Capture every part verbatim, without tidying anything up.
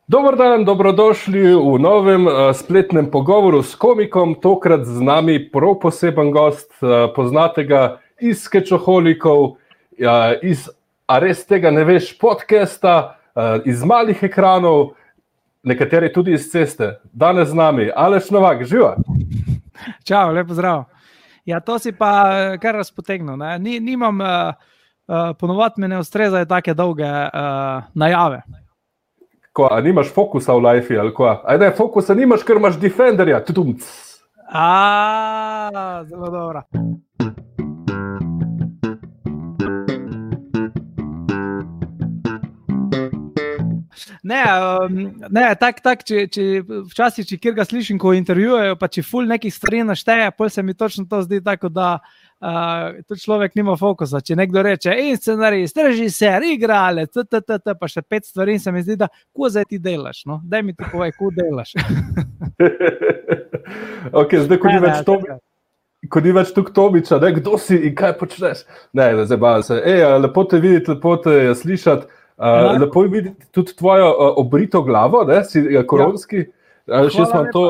Dober dan, dobrodošli v novem uh, spletnem pogovoru s komikom, tokrat z nami prav poseben gost, uh, poznate ga iz Skečoholikov, uh, iz A res tega ne veš podcasta, uh, iz malih ekranov, nekateri tudi iz ceste. Danes z nami Aleš Novak, živa. Čau, lepo zdrav. Ja, to si pa kar razpotegnil. Ne? Ni, nimam, uh, uh, ponovadi me ne ustrezajo take dolge uh, najave. Ko, a nimaš fokusa v lifeu ali ko? Aj ne, fokusa nimaš, ker imaš Defenderja. Tudumc. A, zelo dobro. Ne, um, ne, tak, tak, če, če včasih, če kjer ga slišim, ko intervjujejo, pa če ful nekih stvari našteje, pol se mi točno to zdi tako, da uh, tudi človek nima fokusa. Če nekdo reče, in scenarist, režiser, igralec, ttt, pa še pet stvari, se mi zdi, da ko zdaj ti delaš, no? Daj mi ti povej, ko delaš. Ok, zdaj, ko ni več to... Ko ni več tukaj Tomiča, ne, kdo si in kaj počneš? Ne, ne, zabavljam se. Ej, lepo te videti, lepo te slišati. Uh, lepo je videti tudi tvojo uh, obrito glavo, ne, si uh, koronski. Ja. Uh, še sem to,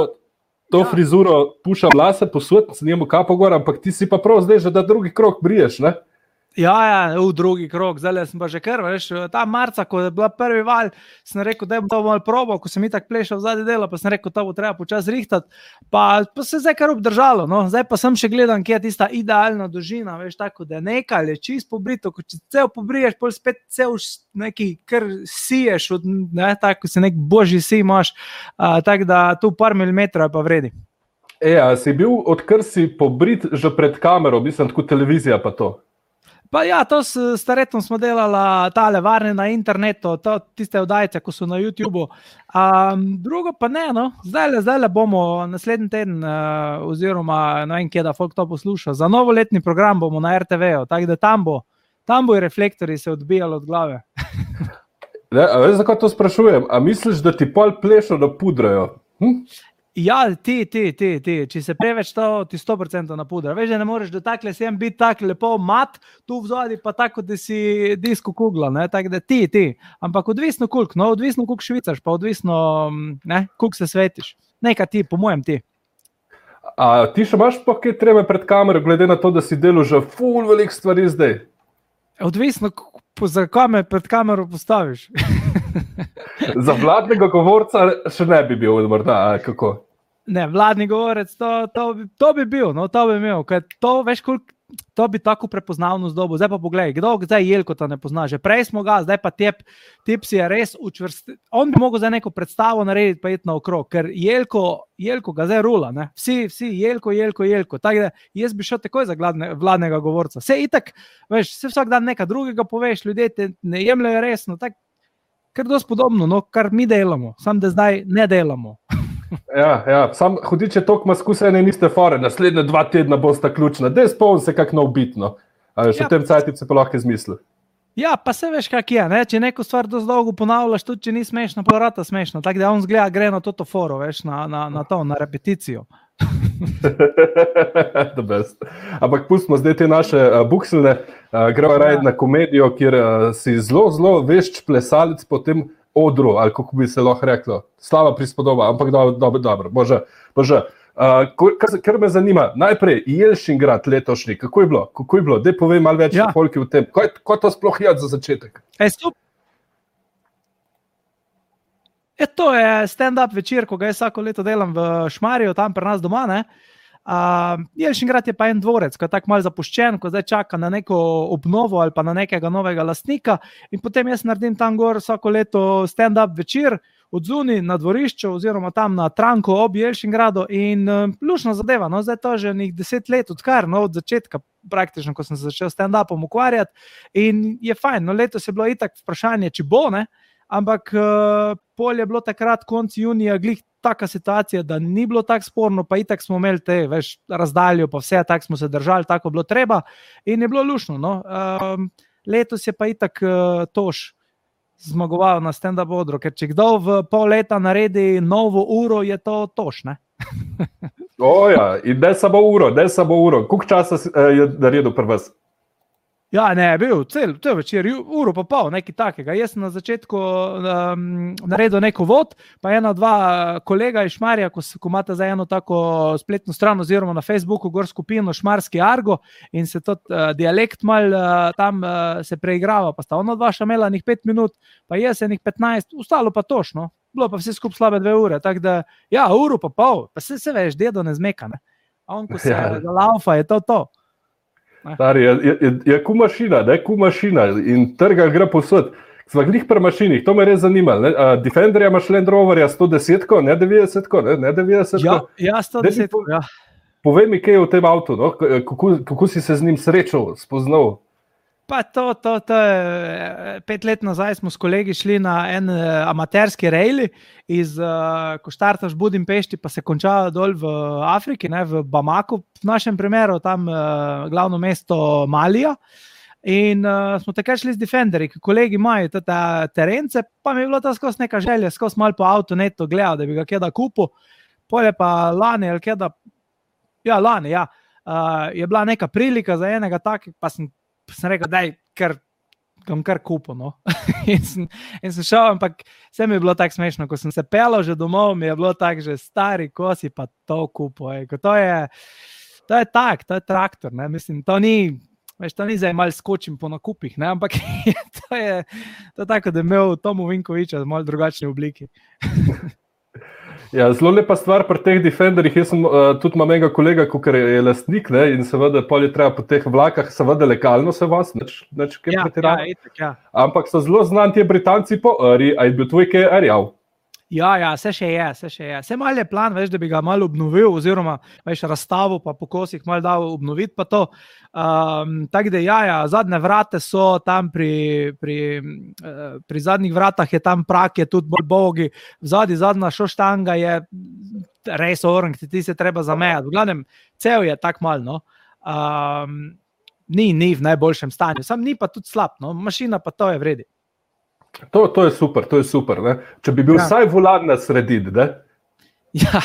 to ja. Frizuro, pušam lase posud, se njemu kapo gor, ampak ti si pa prav zdaj že da drugi krog briješ, ne? Ja, ja, v drugi krog, zdaj sem pa že kar, veš, ta marca, ko je bila prvi val, sem rekel, da je to malo probal, ko sem itak plešal zadnji delo, pa sem rekel, to bo treba počas rihtati, pa, pa se zdaj kar obdržalo, no, zdaj pa sem še gledam, kje je tista idealna dolžina, veš, tako, da nekaj je čist pobrito, ko če cel pobriješ, pol spet cel neki, kar siješ, od, ne, tako se nek božji si imaš, uh, tako da tu par milimetrov je pa vredi. E, a si bil, odkar si pobrit že pred kamero, mislim, tako televizija pa to? Pa ja, to s staretom smo delala tale varne na internetu, to, tiste oddajice, ko so na YouTubeu. Um, drugo pa ne, no, zdajle, zdajle bomo naslednji teden, uh, oziroma ne vem, kje da folk to posluša, za novoletni program bomo na er te veju, tako da tam bo, tam bo reflektori se odbijali od glave. Ne, a veš, zakaj to sprašujem? A misliš, da ti pol plešo napudrajo? Hm? Ja, ti, ti, ti, ti, če se preveč to, ti sto procentov napudra. Veš, da ne moreš do takle sem biti tak lepo mat, tu vzadi pa tako, da si disko kugla, ne, tako da ti, ti. Ampak odvisno koliko, no, odvisno koliko švicaš, pa odvisno, ne, koliko se svetiš. Nekaj ti, po mojem ti. A ti še imaš pa kaj treme pred kamero, glede na to, da si delal že ful velik stvari zdaj? Odvisno, za kome pred kamero postaviš. Za vladnega govorca še ne bi bil, morda, a kako? Ne, vladni govorec, to, to, bi, to bi bil, no, to bi imel, ker to, veš, koliko, to bi tako prepoznavnost dobil. Zdaj pa pogledaj, kdo zdaj Jelko ta ne pozna, že prej smo ga, zdaj pa tep, tep si je res učvrsti, on bi mogel zdaj neko predstavo narediti pa iti na okrog, ker Jelko, Jelko ga zdaj rula, ne, vsi, vsi, Jelko, Jelko, Jelko, tako da jaz bi šel takoj za gladne, vladnega govorca. Vse itak, veš, vse vsak dan nekaj drugega poveš, ljudje te ne jemljajo resno, tako, kar dosti podobno, no, kar mi delamo, samo da zdaj ne delamo. Ja, ja, sam hudiče toliko ima skusene niste fore, naslednje dva tedna bosta ključna, dej spomni se kak nov bit, no. A še ja, v tem cajtip se pa lahko izmisli. Ja, pa se veš kak je, ne, če neko stvar dosti dolgo ponavljaš, tudi če ni smešno, pa vrata smešno, tako da on zgleda, gre na toto foro, veš, na, na, na to, na repeticijo. The best. Ampak pustimo zdaj te naše uh, bukselne, uh, gremo raje na komedijo, kjer uh, si zelo, zelo vešč plesalec po tem odru, ali kako bi se lahko reklo, slava prispodoba, ampak dobro, dobro, dobro, bože, bože. Uh, kar, kar me zanima, najprej Jelšingrad letošnji, kako je bilo, kako je bilo, daj povej malo več ja. Folki v tem, kaj, kaj to sploh je za začetek? E, e, to je stand-up večer, ko ga jaz vsako leto delam v Šmarju, tam pri nas doma, ne. Uh, Jelšingrad je pa en dvorec, ko je tako malo zapuščen, ko zdaj čaka na neko obnovo ali pa na nekega novega lastnika in potem jaz naredim tam gor vsako leto stand-up večer od zunaj na dvorišču oziroma tam na Tranku ob Jelšingradu in uh, lušna zadeva, no zdaj to že nekaj deset let odkar, no od začetka praktično, ko sem se začel stand-upom ukvarjati in je fajn, no letos je bilo itak vprašanje, či bo, ne, ampak uh, pol je bilo takrat konc junija glih taka situacija, da ni bilo tako sporno, pa itak smo imeli te, veš, razdaljo, pa vse, tako smo se držali, tako bilo treba in je bilo lušno, no. Um, letos je pa itak uh, Toš zmagoval na stand-up odru, ker če kdo v pol leta naredi novo uro, je to Toš, ne? O ja, in ne samo uro, ne samo uro. Koliko časa je naredil pri vas? Ja, ne, bil cel, cel večer, uro pa pol, nekaj takega. Jaz sem na začetku um, naredil neko vod, pa ena, dva kolega iz Šmarja, ko, ko imate za eno tako spletno stran oziroma na Facebooku gor skupino Šmarski Argo in se tudi uh, dialekt mal uh, tam uh, se preigrava, pa sta ona dva še imela nek pet minut, pa jaz enih petnajst, ostalo pa točno, bilo pa vse skup slabe dve ure, tako da, ja, uro pa pol, pa se, se veš, dedo ne zmeka, ne. A on, ko se ja. Zalaufa, je to to. Stari, je, je, je ku mašina, ne, ku mašina in trga gre povsod. Sva glih pri mašinih, to me res zanima. Uh, Defenderja imaš Land Roverja sto deset, ne devetdeset, ne, ne devetdeset. Ja, ja sto deset, po, ja. Povej mi, kaj je v tem avtu, no? kako, kako si se z njim srečal, spoznal? Pa to, to, to je, pet let nazaj smo s kolegi šli na en uh, amaterski rejli iz, uh, ko štartaš v Budimpešti, pa se konča dol v Afriki, ne, v Bamaku, v našem primeru, tam uh, glavno mesto Malija. In uh, smo takrat šli z Defenderji, ki kolegi imajo te terence, pa mi je bilo to skozi neka želja, skozi malo po avtonetu gledal, da bi ga kjeda kupil. Polje pa lani, ali kjeda, ja, lani, ja, uh, je bila neka prilika za enega takega, pa sem Pa sem rekel, daj, kar, kam kar kupo, no. in, sem, in sem šel, ampak vse mi je bilo tako smešno, ko sem se pelal že domov, mi je bilo tako, že stari, ko si pa to kupo, ej. To je, to je tak, to je traktor, ne, mislim, to ni, veš, to ni zdaj malo skočim po nakupih, ne, ampak to je, to je tako, da je imel Tomu Vinkoviča v malo drugačni obliki. Ja, zelo lepa stvar pri teh Defenderjih, jaz sem uh, tudi imam enega kolega, kakor je lastnik, ne, in seveda pol je treba po teh vlakah, seveda legalno se vas, neč, neč kaj ja, pretirano. Ja, itak, ja. Ampak so zelo znani ti Britanci po Ari, a je bil tvoj kaj Arjav? Ja, ja, vse še je, vse še je. Vse malo je plan, veš, da bi ga malo obnovil, oziroma veš, razstavo pa po kosih malo dal obnoviti pa to. Um, tako da, ja, ja, zadnje vrate so tam pri, pri, uh, pri zadnjih vratah je tam prak, je tudi bolj bogi, vzadi zadnja šoštanga je res orang, ti se treba zamejati. V glavnem, cel je tak malo, no. Um, ni, ni v najboljšem stanju, sam ni pa tudi slab, no. Mašina pa to je vredi. To, to je super, to je super, ne? Če bi bil ja. Vsaj volan na sredini, ne? Ja,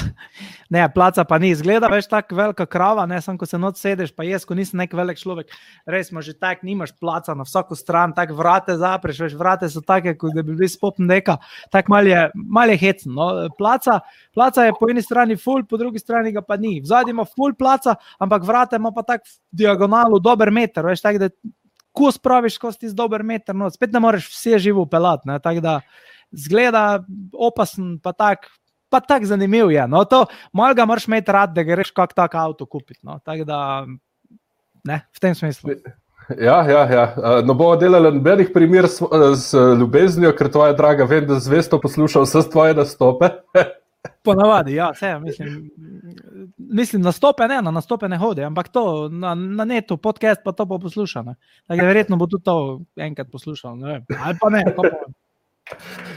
ne, placa pa ni, izgleda, veš, tako velika krava, ne, sam ko se noč sedeš, pa jaz, ko nisem nek velik človek, res ima že tak, nimaš placa na vsako stran, tak vrate zapreš, veš, vrate so take, kot da bi bili spopn deka, tak mal je, mal je hecen, no, placa, placa je po eni strani full, po drugi strani ga pa ni, vzadi ima full placa, ampak vrate ima pa tak v diagonalu dober meter, veš, tak, da ko spraviš skozi tisti dober meter, no, spet ne moreš vse živo pelati, ne, tako da zgleda opasen, pa tak, pa tak zanimiv je, no, to malo ga moraš imeti rad, da greš kak tak avto kupiti, no, tako da, ne, v tem smislu. Ja, ja, ja, no bomo delali nobenih primer s, s ljubeznijo, ker tvoja draga, vem, da zvesto poslušal vse tvoje nastope. Ponavadi, ja, vse, mislim, mislim, nastope ne, na nastope ne hodi, ampak to, na, na netu, podcast pa to bo poslušal, ne. Tako verjetno bo tudi to enkrat poslušal, ne vem, ali pa ne, pa pa.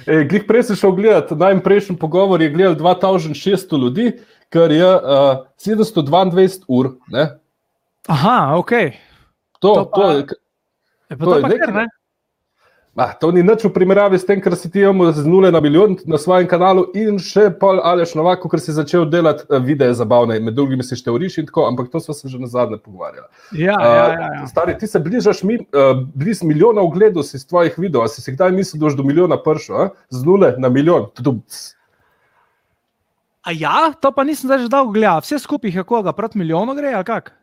E, glih prej si šel gledati, najprejšnji pogovor je gledal dva tisoč šeststo ljudi, kar je uh, sedemsto dvaindvajset ur, ne. Aha, okej. Okay. To, to, pa, to je... je pa to, to pa kar, ne? Ah, to ni nič v primerjavi s tem, kar si ti imel z nule na milijon na svojem kanalu in še pol Aleš Novak, ker si začel delati videe zabavne, med drugimi si šteoriš in tako, ampak to smo se že nazadnje pogovarjali. Ja, uh, ja, ja, ja. Stari, ti se bližaš mi, uh, bliz milijona ogledov si z tvojih videov, a si si kdaj mislil, da boš do milijona prišel, z nule na milijon? A ja, to pa nisem zdaj že dolgo gledal, vse skupaj je koga, proti milijonu gre, ali kak?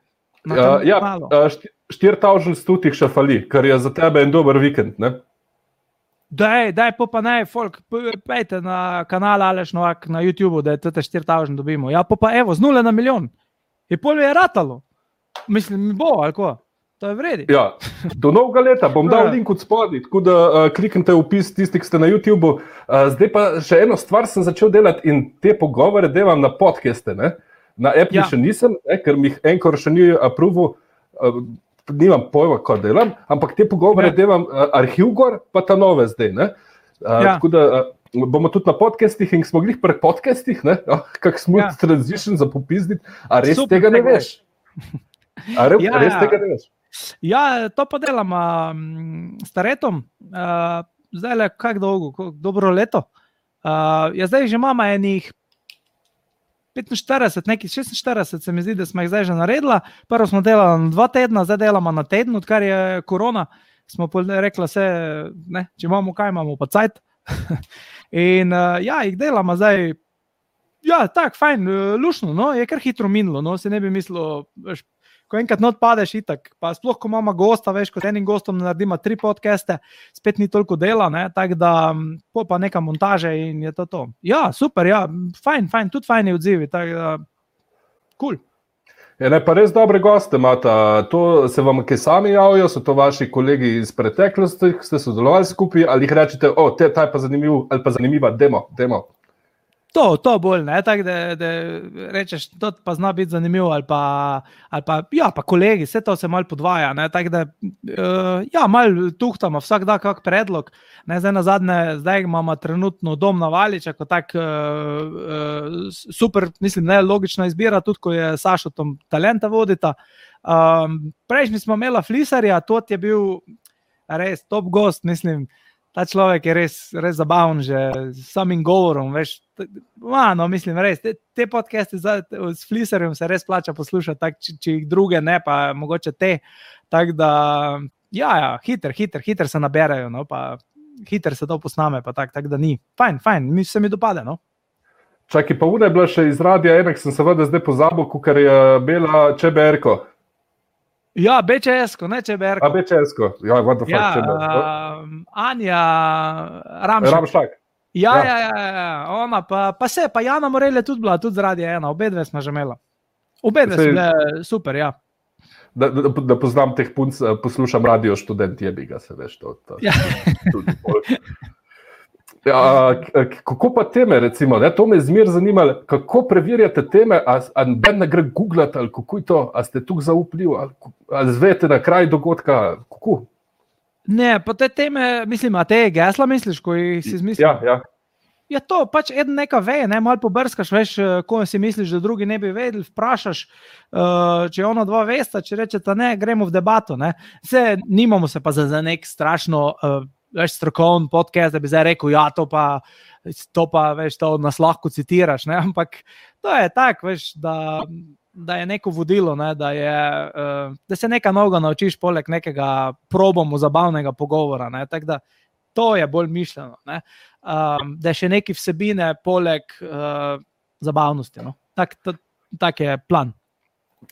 Uh, ja, štiri tisoč sto tih še fali, kar je za tebe en dober vikend, ne? Daj, daj, pa pa ne, folk, pejte na kanal Aleš Novak na YouTubeu, da je tete štiri tisoč dobimo. Ja, pa pa evo, z nule na milijon. Je pol je ratalo. Mislim, mi bo, ali ko? To je vredi. Ja, do novega leta bom dal link od spodaj, tako da uh, kliknite vpis tisti, ki ste na YouTubeu. Uh, zdaj pa še eno stvar sem začel delati in te pogovore delam na podcaste, ne? Na Apple ja. Še nisem, ne? Ker mi jih enkor še ni approval, uh, nimam pojma, ko delam, ampak te pogovore ja. Delam uh, arhiv gor, pa ta nove zdaj, ne? Uh, ja. Tako da uh, bomo tudi na podcastih in smo glih pri podcastih, ne? Oh, kak smooth ja. Transition za popizditi, a res Super, tega ne veš? A re, ja, res tega ne veš? Ja, to pa delam um, s Taretom, uh, zdaj le, kak dolgo, kak dobro leto. Uh, ja, zdaj že imamo enih petinštirideset, neki šestinštirideset se mi zdi, da smo jih zdaj že naredila. Prvo smo delali na dva tedna, zdaj delamo na teden, odkar je korona. Smo rekli, se, ne, če imamo kaj, imamo pa cajt. In uh, ja, jih delamo zdaj, ja, tak, fajn, lušno, no, je kar hitro minilo, no, se ne bi mislil, veš, ko enkrat not padeš itak, pa sploh, ko imamo gosta, veš, kot enim gostom naredimo tri podcaste, spet ni toliko dela, ne, tak da, po pa neka montaže in je to to. Ja, super, ja, fajn, fajn, tudi fajni odzivi, tak da, cool. Je, ne, pa res dobre goste imate, to se vam kaj sami javijo, so to vaši kolegi iz preteklosti, ste sodelovali skupaj, ali jih rečete, o, te, ta je pa zanimiv, ali pa zanimiva, demo, demo. To, to bolj, ne, tako da, da rečeš, to pa zna biti zanimivo, ali pa, ali pa, ja, pa kolegi, vse to se malo podvaja, ne, tako da, uh, ja, malo tuhtamo, vsak da kak predlog, ne, zdaj na zadnje, zdaj imamo trenutno Dom na Valiča, kot tak uh, uh, super, mislim, ne, logična izbira, tudi ko je Sašo tam talenta vodita. Um, prejšnji smo imela Flisarja, to je bil res top gost, mislim, ta človek je res, res zabaven že s samim govorom, veš, ma, no, mislim, res, te, te podcaste z, s Flisarjem se res plača poslušati, tak, če, če jih druge ne, pa mogoče te, tako da, ja, ja, hiter, hiter, hiter se naberajo, no, pa hiter se to posname, pa tak, tak da ni, fajn, fajn, mi se mi dopade, no. Čaki, pa ura je bila še iz radija, enak sem seveda zdaj pozabil, kukar je bila Čeberko. Ja, B Č S-ko, ne Č B R-ko. A B Č S-ko, ja, what the fuck, ja, Č B R ko. Uh, Anja Ramšak. Ramšak. Ja, ja, ja, ja, ona, pa, pa se, pa Jana Morel je tudi bila, tudi zaradi ena, obe dve smo že imela. Obe dve so bile super, ja. Da, da, da poznam teh punc, poslušam radio študent, jebi ga se, veš, to. to ja. Ja, kako pa teme, recimo, ne? To me je zmer zanimalo, kako preverjate teme, a, a ben ne gre googlati, ali kako je to, a ste tukaj zaupljiv, ali, ali zvete na kraj dogodka, kako? Ne, pa te teme, mislim, a te gesla misliš, ko jih si izmislil? Ja, ja. Ja, to pač eden neka ve, ne, malo pobrskaš, veš, ko si misliš, da drugi ne bi vedeli, vprašaš, uh, če ona dva vesta, če rečeta ne, gremo v debato, ne. Vse, nimamo se pa za, za nek strašno uh, veš, strokovni podcast, da bi zdaj rekel, ja, to pa, to pa, veš, to nas lahko citiraš, ne, ampak to je tak, veš, da, da je neko vodilo, ne, da je, uh, da se neka novega naučiš poleg nekega probomu zabavnega pogovora, ne, tak da to je bolj mišljeno, ne, um, da je še neki vsebine poleg uh, zabavnosti, no, tak, tak je plan.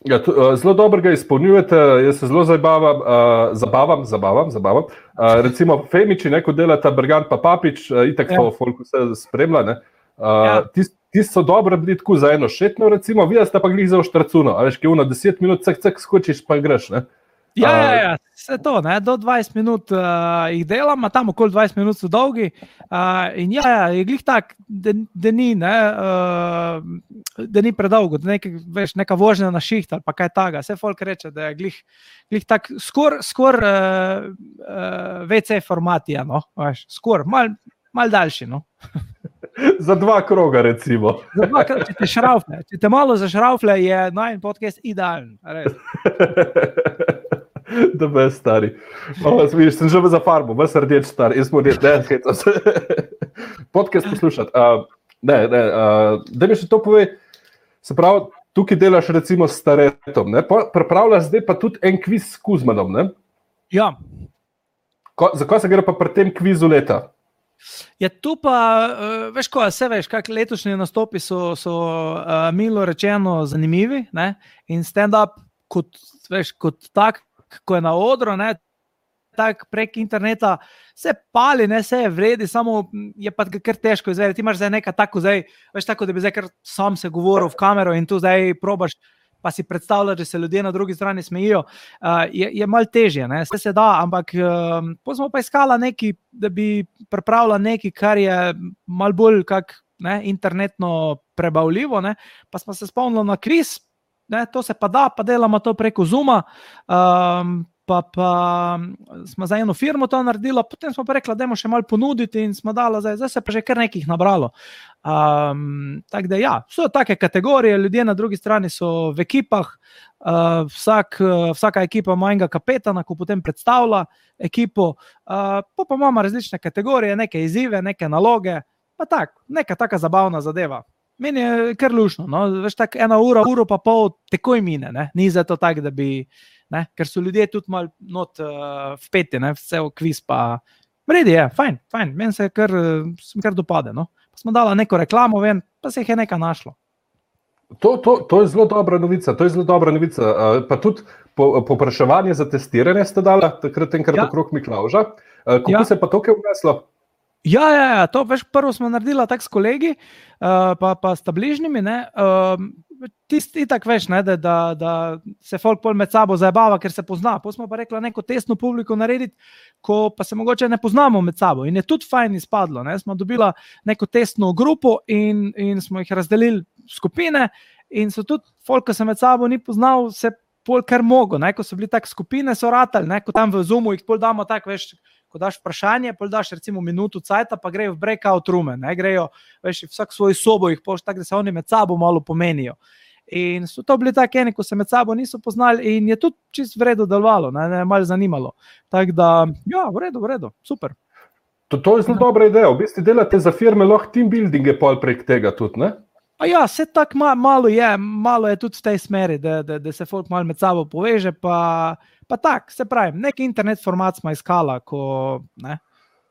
Ja, to, uh, zelo dobro ga izpolnjujete, jaz se zelo zabavam, uh, zabavam, zabavam, zabavam. Uh, recimo Femiči, neko delata Bergant pa Papič, uh, itak ja. Folk vse spremlja, ne. Uh, ja. Tisti tis so dobro bili tako za eno šetno, recimo, vi ste pa glih za oštracuno, a veš, ki je ono deset minut, cek, cek, skočiš pa greš, ne. Ja, ja, ja, vse to, ne, do dvajset minut uh, jih delam, a tam okoli dvajset minut so dolgi uh, in ja, ja, je glih tak, da, da ni, ne, uh, da ni predolgo, da nek, veš, neka vožnja na šiht ali pa kaj taga, vse folk reče, da je glih, glih tak skor, skor uh, uh, V C formatija, no, veš, skor, mal, mal daljši, no. Za dva kroga, recimo. Za dva kroga, če te šraufle, če te malo zašraufle, je najin podcast idealen, res. Da be stari. O, vidiš, sem že za farmo, ves rdeč star, jaz mu reč, ne, hecam se. Podcast poslušati. Uh, ne, ne, uh, da mi še to povej, se pravi, tukaj delaš recimo s Staretom, ne, pripravljaš zdaj pa tudi en kviz s Kuzmanom, ne? Ja. Ko, zakaj se gre pa pri tem kvizu leta? Ja, tu pa, uh, veš ko, vse veš, kak letošnji nastopi so, so uh, milo rečeno zanimivi, ne, in stand-up kot, veš, kot tak, ko je na odru, ne, tak prek interneta, se pali, ne, se je vredi, samo je pa kar težko izvedeti. Ti imaš zdaj neka tako, zdaj, veš tako, da bi zdaj kar sam se govoril v kamero in tu zdaj probaš, pa si predstavljaš, da se ljudje na drugi strani smejijo, uh, je, je malo težje, ne, vse se da, ampak uh, pa smo pa iskala neki, da bi pripravila neki, kar je malo bolj kak, ne, internetno prebavljivo, ne, pa smo se spomnili na kviz. Ne, to se pa da, pa delamo to preko Zooma, um, pa, pa smo za eno firmo to naredila, potem smo pa rekla, dajmo še malo ponuditi in smo dala, zdaj, zdaj se pa že kar nekih nabralo. Um, tako da ja, so take kategorije, ljudje na drugi strani so v ekipah, uh, vsak, vsaka ekipa ima enega kapetana, ko potem predstavlja ekipo, uh, pa pa imamo različne kategorije, neke izzive, neke naloge, pa tak, neka taka zabavna zadeva. Meni je kar lušno, no? Veš, tako ena ura, uro pa pol takoj mine, ne? Ni zato tako, da bi, ne? Ker so ljudje tudi malo not uh, vpeti, ne? Vse v kviz pa, vredi je, fajn, fajn, meni se kar, se kar dopade, no? Pa smo dala neko reklamo ven, pa se jih je nekaj našlo. To, to, to je zelo dobra novica, to je zelo dobra novica, uh, pa tudi po, popraševanje za testiranje ste dala, takrat enkrat Ja. okrog Miklavža, uh, kako Ja. se pa to kaj vneslo? Ja, ja, ja, to veš, prvo smo naredila tako s kolegi, uh, pa, pa sta bližnjimi, ne, uh, tisti itak veš, ne, da, da, da se folk pol med sabo zajebava, ker se pozna, pa smo pa rekla neko testno publiko narediti, ko pa se mogoče ne poznamo med sabo in je tudi fajn izpadlo, ne, smo dobila neko testno grupo in, in smo jih razdelili v skupine in so tudi folk, ki se med sabo ni poznal, se pol kar mogo, ne, ko so bili tak skupine, so ratali, ne, ko tam v Zoomu jih pol damo tak, veš, ko daš vprašanje, pol daš recimo minuto cajta, pa grejo v breakout roome, ne, grejo, veš, vsak svoj sobo jih poš tako, da se oni med sabo malo pomenijo. In so to bili tako eni, ko se med sabo niso poznali in je tudi čisto v redu delovalo, ne, ne malo zanimalo. Tako da, ja, v redu, v redu, super. To, to je zelo dobra ideja, v bistvu delate za firme lahko team buildinge pol prek tega tudi, ne? A ja, se tako ma, malo je, malo je tudi v tej smeri, da, da, da se folk malo med sabo poveže, pa, pa tak, se pravi, nek internet format smo iskala, ko, ne,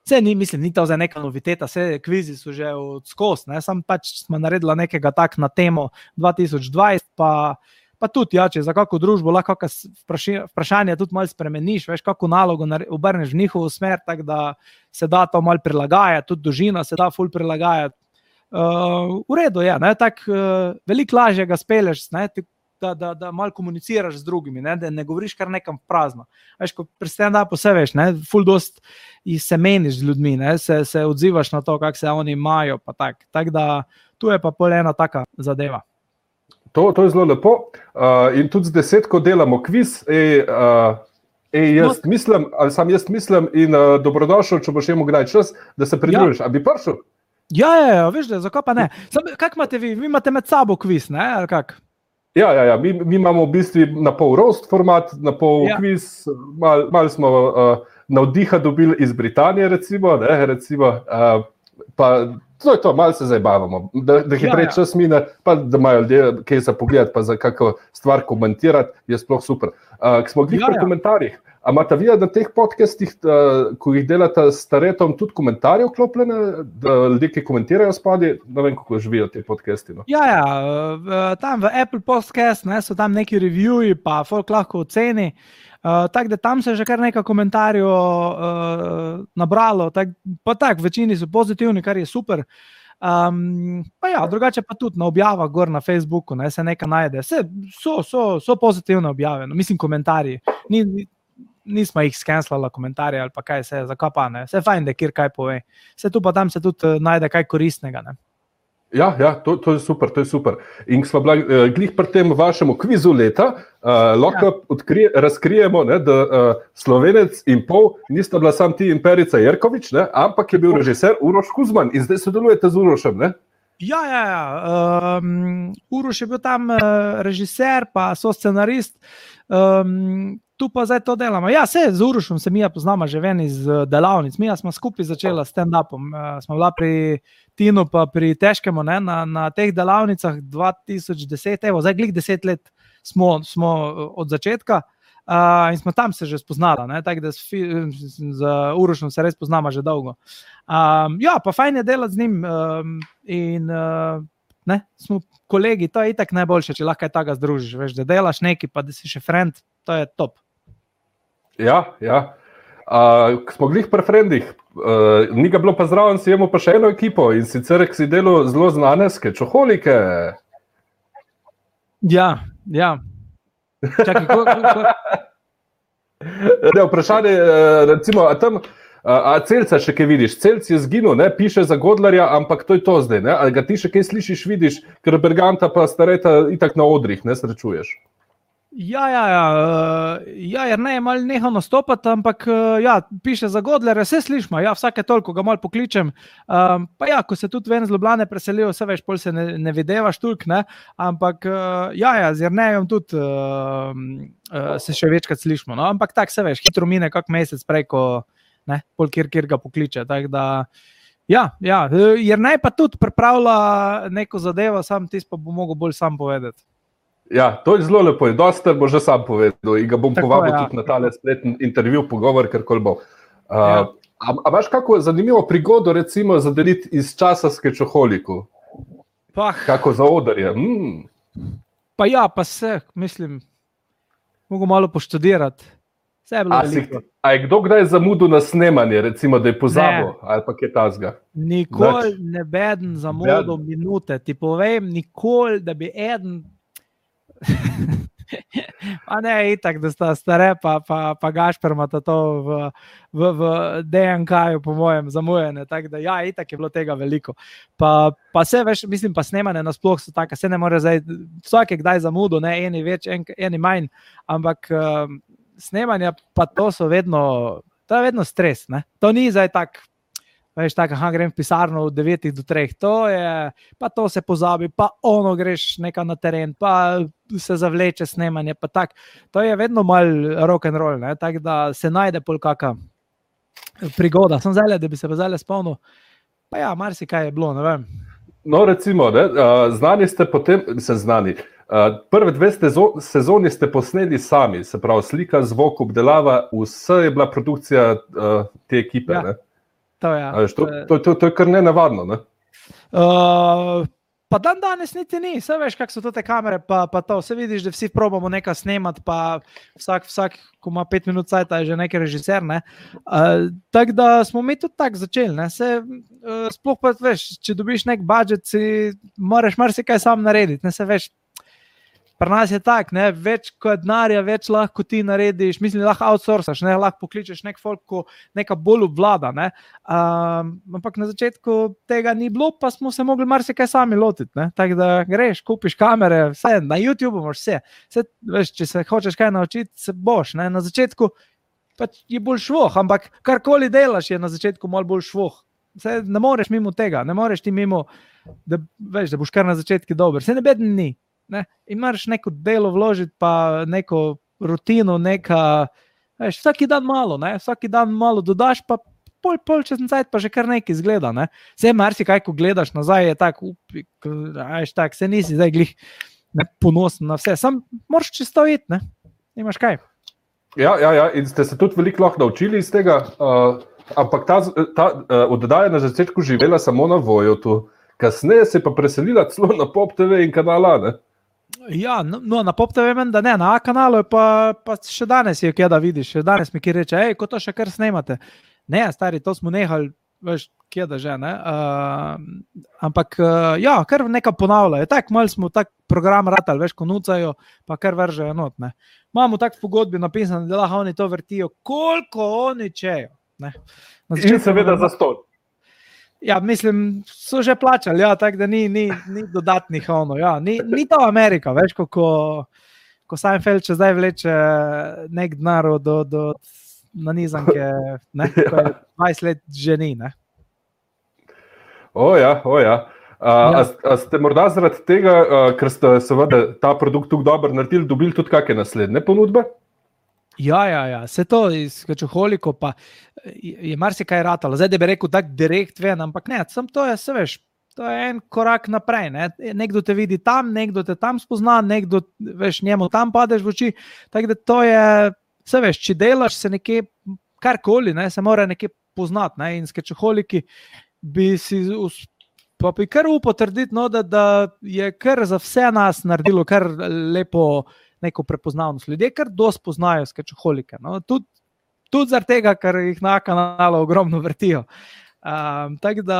vse ni, mislim, ni to za neka noviteta, vse kvizi so že od skos, ne, sam pač smo naredila nekega tak na temo dva tisoč dvajset, pa, pa tudi, ja, če za kako družbo lahko vprašanje tudi malo spremeniš, veš, kako nalogo obrneš v njihovo smer, tako da se da to malo prilagajati, tudi dolžina se da ful prilagajati. Uh, v redu je, ne, tak, uh, veliko lažje ga speleš, ne, da, da, da malo komuniciraš z drugimi, ne, da ne govoriš kar nekam prazno. Veš, ko pri stand-upu se veš, ne, ful dost se meniš z ljudmi, ne, se, se odzivaš na to, kako se oni imajo, pa tak. Tak da tu je pa pol ena taka zadeva. To, to je zelo lepo uh, in tudi z desetko delamo kviz, ej, uh, ej, jaz no. mislim, ali sam jaz mislim in uh, dobrodošel, če boš imel kdaj čas, da se pridružiš. Ja. A bi prišel? Ja, ja, ja, veš, da zakaj pa ne. Sam, kak imate vi? Vi imate med sabo kviz, ne, ali kak? Ja, ja, ja. Mi, mi imamo v bistvu na pol roast format, na pol ja. kviz, malo mal smo uh, navdiha dobili iz Britanije, recimo, ne, recimo, uh, pa to je to, malo se zabavamo, da, da hitreje ja, ja. čas mine, pa da imajo ljudje kaj za pogled, pa za kakšno stvar komentirati, je sploh super. Uh, ko smo glih ja, pri ja. komentarjih, a imate vi na teh podcastih, uh, ko jih delate s Taretom, tudi komentarje vklopljene, da ljudje, ki komentirajo spodaj, ne vem, kako živijo te podcasti. No? Ja, ja, tam v Apple Podcast, ne, so tam neki reviewi, pa folk lahko oceni, uh, tako da tam se je že kar nekaj komentarjev uh, nabralo, tak, pa tak, večini so pozitivni, kar je super. Um, pa ja, drugače pa tudi na objavah gor na Facebooku, ne, se nekaj najde. Se, so, so, so pozitivne objave, no, mislim komentarji. Ni, nismo jih skenslala komentarje ali pa kaj se, zakaj pa ne. Vse fajn, da kjer kaj pove. Vse tu pa tam se tudi najde kaj koristnega, ne. Ja, ja, to, to je super, to je super. In ko smo bila uh, glih pri tem vašemu kvizu leta, uh, lahko ja. odkrije, razkrijemo, ne, da uh, Slovenec in pol nista bila sam ti in Perica Jerkovič, ne, ampak je bil režiser Uroš Kuzman in zdaj sodelujete z Urošem, ne? Ja, ja, ja. Um, Uroš je bil tam uh, režiser, pa so scenarist. Um, tu pa zdaj to delamo. Ja, se z Urošom se Mija poznamo že ven iz delavnic. Mija smo skupaj začela s stand-upom. Uh, smo bila pri Tinu pa pri Težkemu, ne, na, na teh delavnicah dva tisoč deset, evo, zdaj glih deset let smo, smo od začetka uh, in smo tam se že spoznala, ne, tako da s, z Urošom se res poznamo že dolgo. Um, ja, pa fajn je delati z njim um, in uh, ne, smo kolegi, to je itak najboljše, če lahko je tako združiš, veš, da delaš neki, pa da si še friend, to je top. Ja, ja. Uh, smo glih pri frendih, uh, ni ga bilo pa zraven, si imamo pa še eno ekipo in sicer si delal zelo znane skečoholike. Ja, ja. Čakaj, ko, ko, ko... Ne, vprašanje, recimo, a tam, a Celca še kaj vidiš? Celc je zginil, ne, piše za Godlerja, ampak to je to zdaj, ne, ali ga ti še kaj slišiš, vidiš, ker Berganta pa Stareta itak na odrih, ne, srečuješ. Ja, ja, ja, ja, jer ne je malo nehal nastopati, ampak ja, piše za Godlerja, vse slišimo, ja, vsake toliko ga malo pokličem, um, pa ja, ko se tudi ven z Ljubljane preselijo, vse veš, pol se ne, ne videvaš toliko, ne, ampak ja, ja, z Jernejom tudi uh, uh, se še večkrat slišimo, no, ampak tak se veš, hitro mine kak mesec preko, ne, pol kjer, kjer ga pokliče, tako da, Ja, ja, jer naj pa tudi pripravlja neko zadevo, sam tisto pa bo mogel bolj sam povedati. Ja, to je zelo lepo, dosta bo že sam povedal in ga bom Tako, povabil ja. tudi na tale spletni intervju, pogovor, karkoli bo. Uh, Ja. a, a imaš kako zanimivo prigodo, recimo, zadeliti iz časa Skečoholiku? Pa, Kako za odarje? Mm. pa ja, pa se, mislim, mogo malo poštudirati. Vse je bilo A, si, veliko. a je kdo kdaj zamudil na snemanje, recimo, da je pozabil ali pa kaj tasga? Nikoli ne beden za modo minute. Ti povem, nikoli, da bi eden. Pa ne, itak, da sta stare, pa, pa, pa Gašper imata to v, v, v D N K-ju, po mojem, zamujene. Tako da, ja, itak je bilo tega veliko. Pa, pa se veš, mislim, pa snemane nasploh so taka, se ne more zdaj, vsake kdaj zamudo, ne, eni več, en, eni manj, ampak um, snemanja pa to so vedno, to je vedno stres, ne. To ni zdaj tak, veš, tako, aha, grem v pisarno od devetih do treh, to je, pa to se pozabi, pa ono greš nekaj na teren, pa se zavleče snemanje, pa tak, to je vedno mal rock and roll, ne, tako da se najde pol kaka prigoda, sem zdaj, da bi se pa zdaj spomnil, pa ja, marsikaj je bilo, ne vem. No, recimo, ne, znani ste potem, se znani, prve dve sezoni ste posneli sami, se pravi slika, zvok, obdelava, vse je bila produkcija te ekipe, Ja. ne? To, ja. To, to, to, to je kar nenavadno, ne? Uh, pa dan danes niti ni, vse veš, kak so to te kamere, pa, pa to, vse vidiš, da vsi probamo nekaj snemati, pa vsak, vsak, ko ima pet minut cajta, je že neki režiser, ne. Uh, tako da smo mi tudi tako začeli, ne, se, uh, sploh pa veš, če dobiš nek budžet, si moraš marsikaj sam narediti, ne, se veš, pri nas je tak, ne, več kot denarja, več lahko ti narediš, mislim, lahko outsourcaš, ne, lahko pokličeš nek folk, ko neka bolj obvlada, ne, um, ampak na začetku tega ni bilo, pa smo se mogli marsikaj sami lotiti, ne, tako da greš, kupiš kamere, vse, na YouTube imaš vse, vse, veš, če se hočeš kaj naučiti, se boš, ne, na začetku pač je bolj švoh, ampak karkoli delaš je na začetku malo bolj švoh, vse, ne moreš mimo tega, ne moreš ti mimo, da, veš, da boš kar na začetku dober, vse ne beden ni. Ne, imaš neko delo vložiti, pa neko rutino, neka, veš, vsaki dan malo, ne, vsaki dan malo dodaš, pa pol, pol čez cajt pa že kar nekaj izgleda, ne. Vse marsikaj, ko gledaš nazaj, je tak, upi, veš, tak, se nisi zdaj glih ne, ponosen na vse, sam moraš čisto iti, ne, nimaš kaj. Ja, ja, ja, in ste se tudi veliko lahko naučili iz tega, uh, ampak ta, ta uh, oddaja na začetku živela samo na Voyotu, kasneje se pa preselila celo na Pop T V in kanala, ne? Ja, no, no na Pop T V men, da ne, na A kanalu je pa, pa še danes je kje da vidiš, še danes mi ki reče, ej, ko to še kar snemate. Ne, stari, to smo nehali, veš, kje da že, ne. Uh, ampak, uh, ja, kar nekaj ponavljajo. Tak, malo smo tak program ratali, veš, ko nucajo, pa kar vržejo not, ne. Imamo tak v pogodbi napisano, da lahko oni to vrtijo, koliko oni čejo, ne. In seveda za ston. Ja, mislim, so že plačali, ja, tako da ni, ni, ni dodatnih ono, ja, ni, ni to Amerika, veš, ko, ko, ko Seinfeld če zdaj vleče nek denar do, do nanizanke, ne, ko je dvajset let že ni, ne. O ja, o ja. A, ja. A, a ste morda zaradi tega, a, ker ste seveda ta produkt tako dobro naredili, dobili tudi kakšne naslednje ponudbe? Ja, ja, ja, vse to iz Skečoholiko pa je marsikaj ratalo. Zdaj, da bi rekel tak direkt ven, ampak ne, sam to je, se veš, to je en korak naprej, ne. Nekdo te vidi tam, nekdo te tam spozna, nekdo, veš, njemu tam padeš v oči, tako da to je, se veš, če delaš se nekje, karkoli, ne, se mora nekje poznati, ne, in Skečoholiki bi si, pa bi kar upal trditi, no, da, da je kar za vse nas naredilo kar lepo neko prepoznavnost. Ljudje kar dosti poznajo Skečoholike. No? Tudi tud zaradi tega, ker jih na kanalu ogromno vrtijo. Um, tako da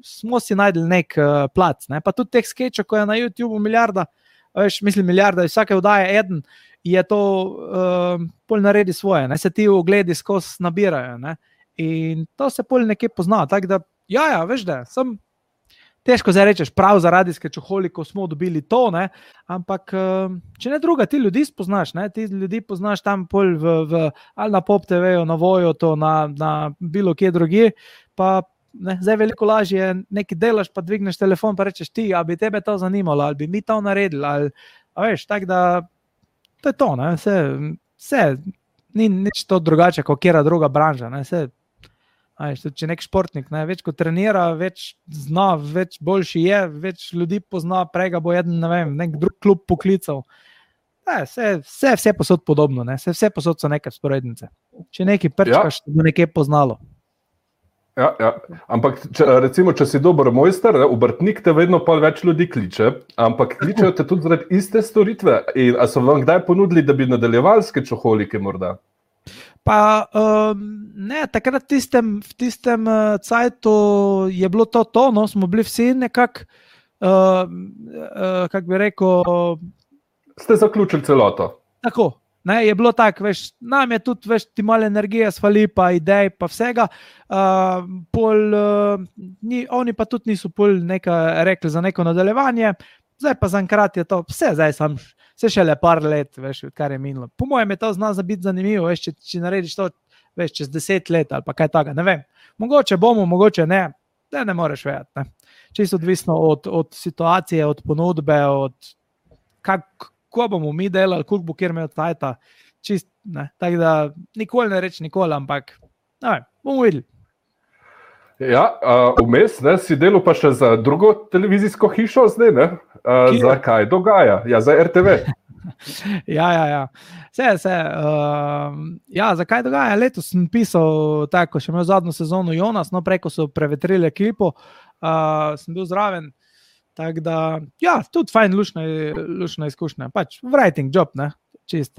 smo si najdeli nek uh, plac. Ne? Pa tudi teh skečov, ko je na YouTubeu milijarda, veš, mislim milijarda, vsake vdaje eden, je to uh, pol naredi svoje. Ne? Se ti ogledi skozi nabirajo. Ne? In to se pol nekje pozna. Tako da, ja, ja, veš da, sem težko zdaj rečeš, prav zaradi Skečoholikov smo dobili to, ne? Ampak če ne druga, ti ljudi spoznaš, ne? Ti ljudi poznaš tam pol v, v, ali na Pop T V-ju, na Voyotu, na, na bilo kje drugje, pa ne, zdaj veliko lažje nekaj delaš, pa dvigneš telefon, pa rečeš ti, a bi tebe to zanimalo, ali bi mi to naredili, ali, a veš, tako da, to je to, ne? Vse, vse, ni nič to drugače, kot kjera druga branža, ne? Vse, Ajš, tudi, če nek športnik, ne, več kot trenira, več zna, več boljši je, več ljudi pozna, prej ga bo jeden, ne vem, nek drug klub poklical. Ne, vse, vse, vse posod podobno, ne, vse, vse posod so neke sporednice. Če nekaj prčkaš, ja. Bo nekaj poznalo. Ja, ja. Ampak, če, recimo, če si dober mojster, ne, obrtnik te vedno pol več ljudi kliče, ampak kličejo te tudi zaradi iste storitve. In, a so vam kdaj ponudili, da bi nadaljevali s kečoholike morda? Pa um, ne, takrat v tistem, v tistem uh, cajtu je bilo to to, no, smo bili vsi nekako, uh, uh, kako bi rekel... Ste zaključili celoto? Tako. Ne, je bilo tako, veš, nam je tudi, veš, ti malo energije svali, pa idej, pa vsega. Uh, pol, uh, ni, oni pa tudi niso pol nekaj rekli za neko nadaljevanje, zdaj pa zaenkrat je to, vse zdaj sam, vse šele par let, veš, kar je minilo. Po mojem je to zna za biti zanimivo, veš, če, če narediš to, veš, čez deset let ali pa kaj taga, ne vem. Mogoče bomo, mogoče ne, ne, ne moreš vedeti, ne. Čisto odvisno od, od situacije, od ponudbe, od kak, ko bomo mi delali, koliko bo kjer imel tajta, čist, ne, tako da nikoli ne reči nikoli, ampak, ne vem, bomo videli. Ja, uh, vmes, ne, si delal pa še za drugo televizijsko hišo zdaj, ne? Uh, za kaj dogaja? Ja, za R T V. ja, ja, ja. Vse, vse. Uh, ja, za kaj dogaja? Letos sem pisal tako, še imel zadnjo sezono Jonas, no, preko so prevetrili ekipo, uh, sem bil zraven. Tako da, ja, tudi fajn, lušna, lušna izkušnja. Pač writing job, ne, čist,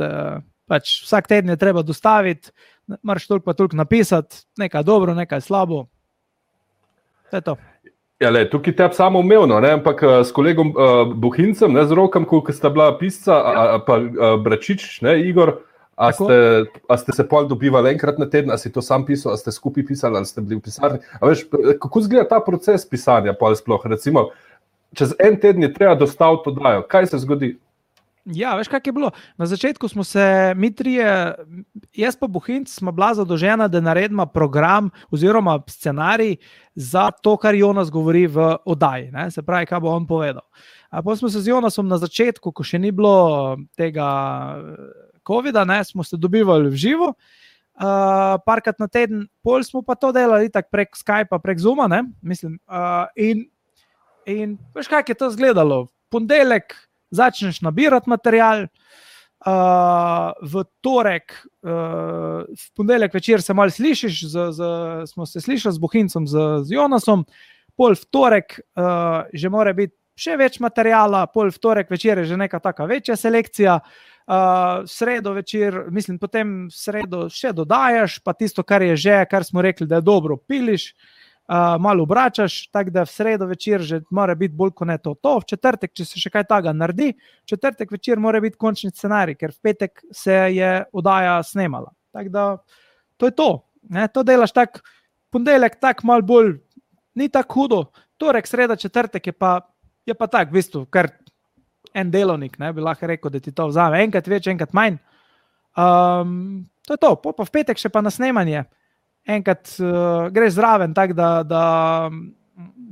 pač vsak teden je treba dostaviti, moraš toliko pa toliko napisati, nekaj dobro, nekaj slabo. To je to. Ja, le, tukaj teb samo umevno, ne, ampak s kolegom uh, Buhincem, ne, z Rokom, ko sta bila pisca, ja. a, a pa uh, Bračič, ne, Igor, a ste, a ste se pol dobivali enkrat na teden, a si to sam pisal, a ste skupaj pisali, ali ste bili v pisarni. A veš, kako izgleda ta proces pisanja pol sploh, recimo, čez en teden je treba dostaviti to dajo. Kaj se zgodi? Ja, veš, kak je bilo? Na začetku smo se, mi trije, jaz pa Buhinc, smo bila zadolžena, da naredimo program oziroma scenarij za to, kar Jonas govori v oddaji. Ne? Se pravi, kaj bo on povedal. A pa smo se z Jonasom na začetku, ko še ni bilo tega covida, ne, smo se dobivali v živo, uh, parkrat na teden, pol smo pa to delali tak prek Skypa, prek Zooma, ne, mislim, uh, in In veš, kako je to izgledalo? Pondelek začneš nabirati material, uh, v torek, uh, v pondelek večer se malo slišiš, z, z, smo se slišali z Buhincem, z, z Jonasom, pol v torek uh, že mora biti še več materijala, pol v torek večer je že neka taka večja selekcija, uh, sredo večer, mislim, potem v sredo še dodajaš, pa tisto, kar je že, kar smo rekli, da je dobro, piliš, Uh, malo obračaš, tako da v sredo večer že mora biti bolj kot ne to. To v četrtek, če se še kaj taga naredi, v četrtek večer mora biti končni scenarij, ker v petek se je oddaja snemala. Tako da to je to. Ne? To delaš tak, pondelek tak malo bolj, ni tako hudo, torek, sreda, četrtek je pa, je pa tak, v bistvu, kar en delovnik, ne, bi lahko rekel, da ti to vzame enkrat več, enkrat manj. Um, to je to, po, pa v petek še pa na snemanje. Enkrat uh, greš zraven, tako da, da,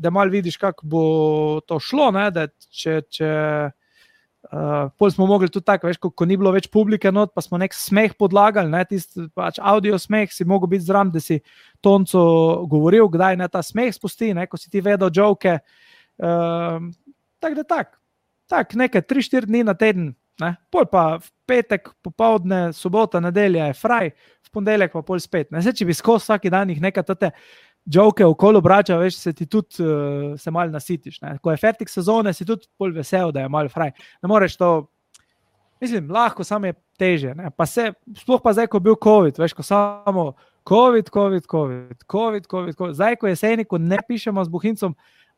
da malo vidiš, kako bo to šlo, ne? Da če, če uh, pol smo mogli tudi tako, veš, ko, ko ni bilo več publike not, pa smo nek smeh podlagali, ne? Tist, pač audio smeh, si mogel biti zraven, da si tonco govoril, kdaj ne ta smeh spusti, ne? Ko si ti vedel joke. Uh, tako da tak, tak, nekaj tri štiri dni na teden, ne? Pol pa v petek, popoldne, sobota, nedelja je fraj, v pondelek pa pol spet. Ne, se, če bi skozi vsaki dan jih nekaj tete joke okolo obračal, veš, se ti tudi uh, se malo nasitiš. Ne. Ko je fertik sezone, si tudi pol vesel, da je malo fraj. Ne moreš to, mislim, lahko, samo je teže. Ne. Pa se, sploh pa zdaj, ko je bil COVID, veš, ko samo COVID, COVID, COVID, COVID, COVID, COVID. Zdaj, ko jeseni, ko ne pišemo z Buhincom,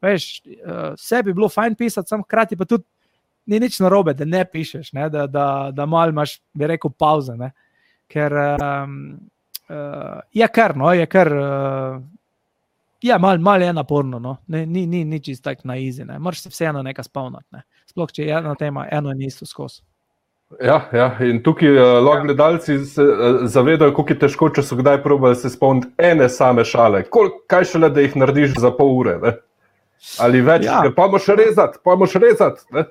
veš, uh, vse bi bilo fajn pisati, sam hkrati pa tudi ni nič narobe, da ne pišeš, ne, da, da, da malo imaš, bi rekel, pauze, ne. Ker um, uh, je kar, no, je kar, uh, je malo mal je naporno, no, ne, ni, ni, ni čist tak na easy, ne, moraš se vseeno nekaj spavnati, ne, sploh, če je ena tema, eno in isto skozi. Ja, ja, in tukaj uh, lahko gledalci se uh, zavedajo, koliko je težko, če so kdaj probali se spomniti ene same šale, Kol, kaj šele, da jih narediš za pol ure, ne, ali več, ja. Ker pa moš rezati, pa moš rezati, ne.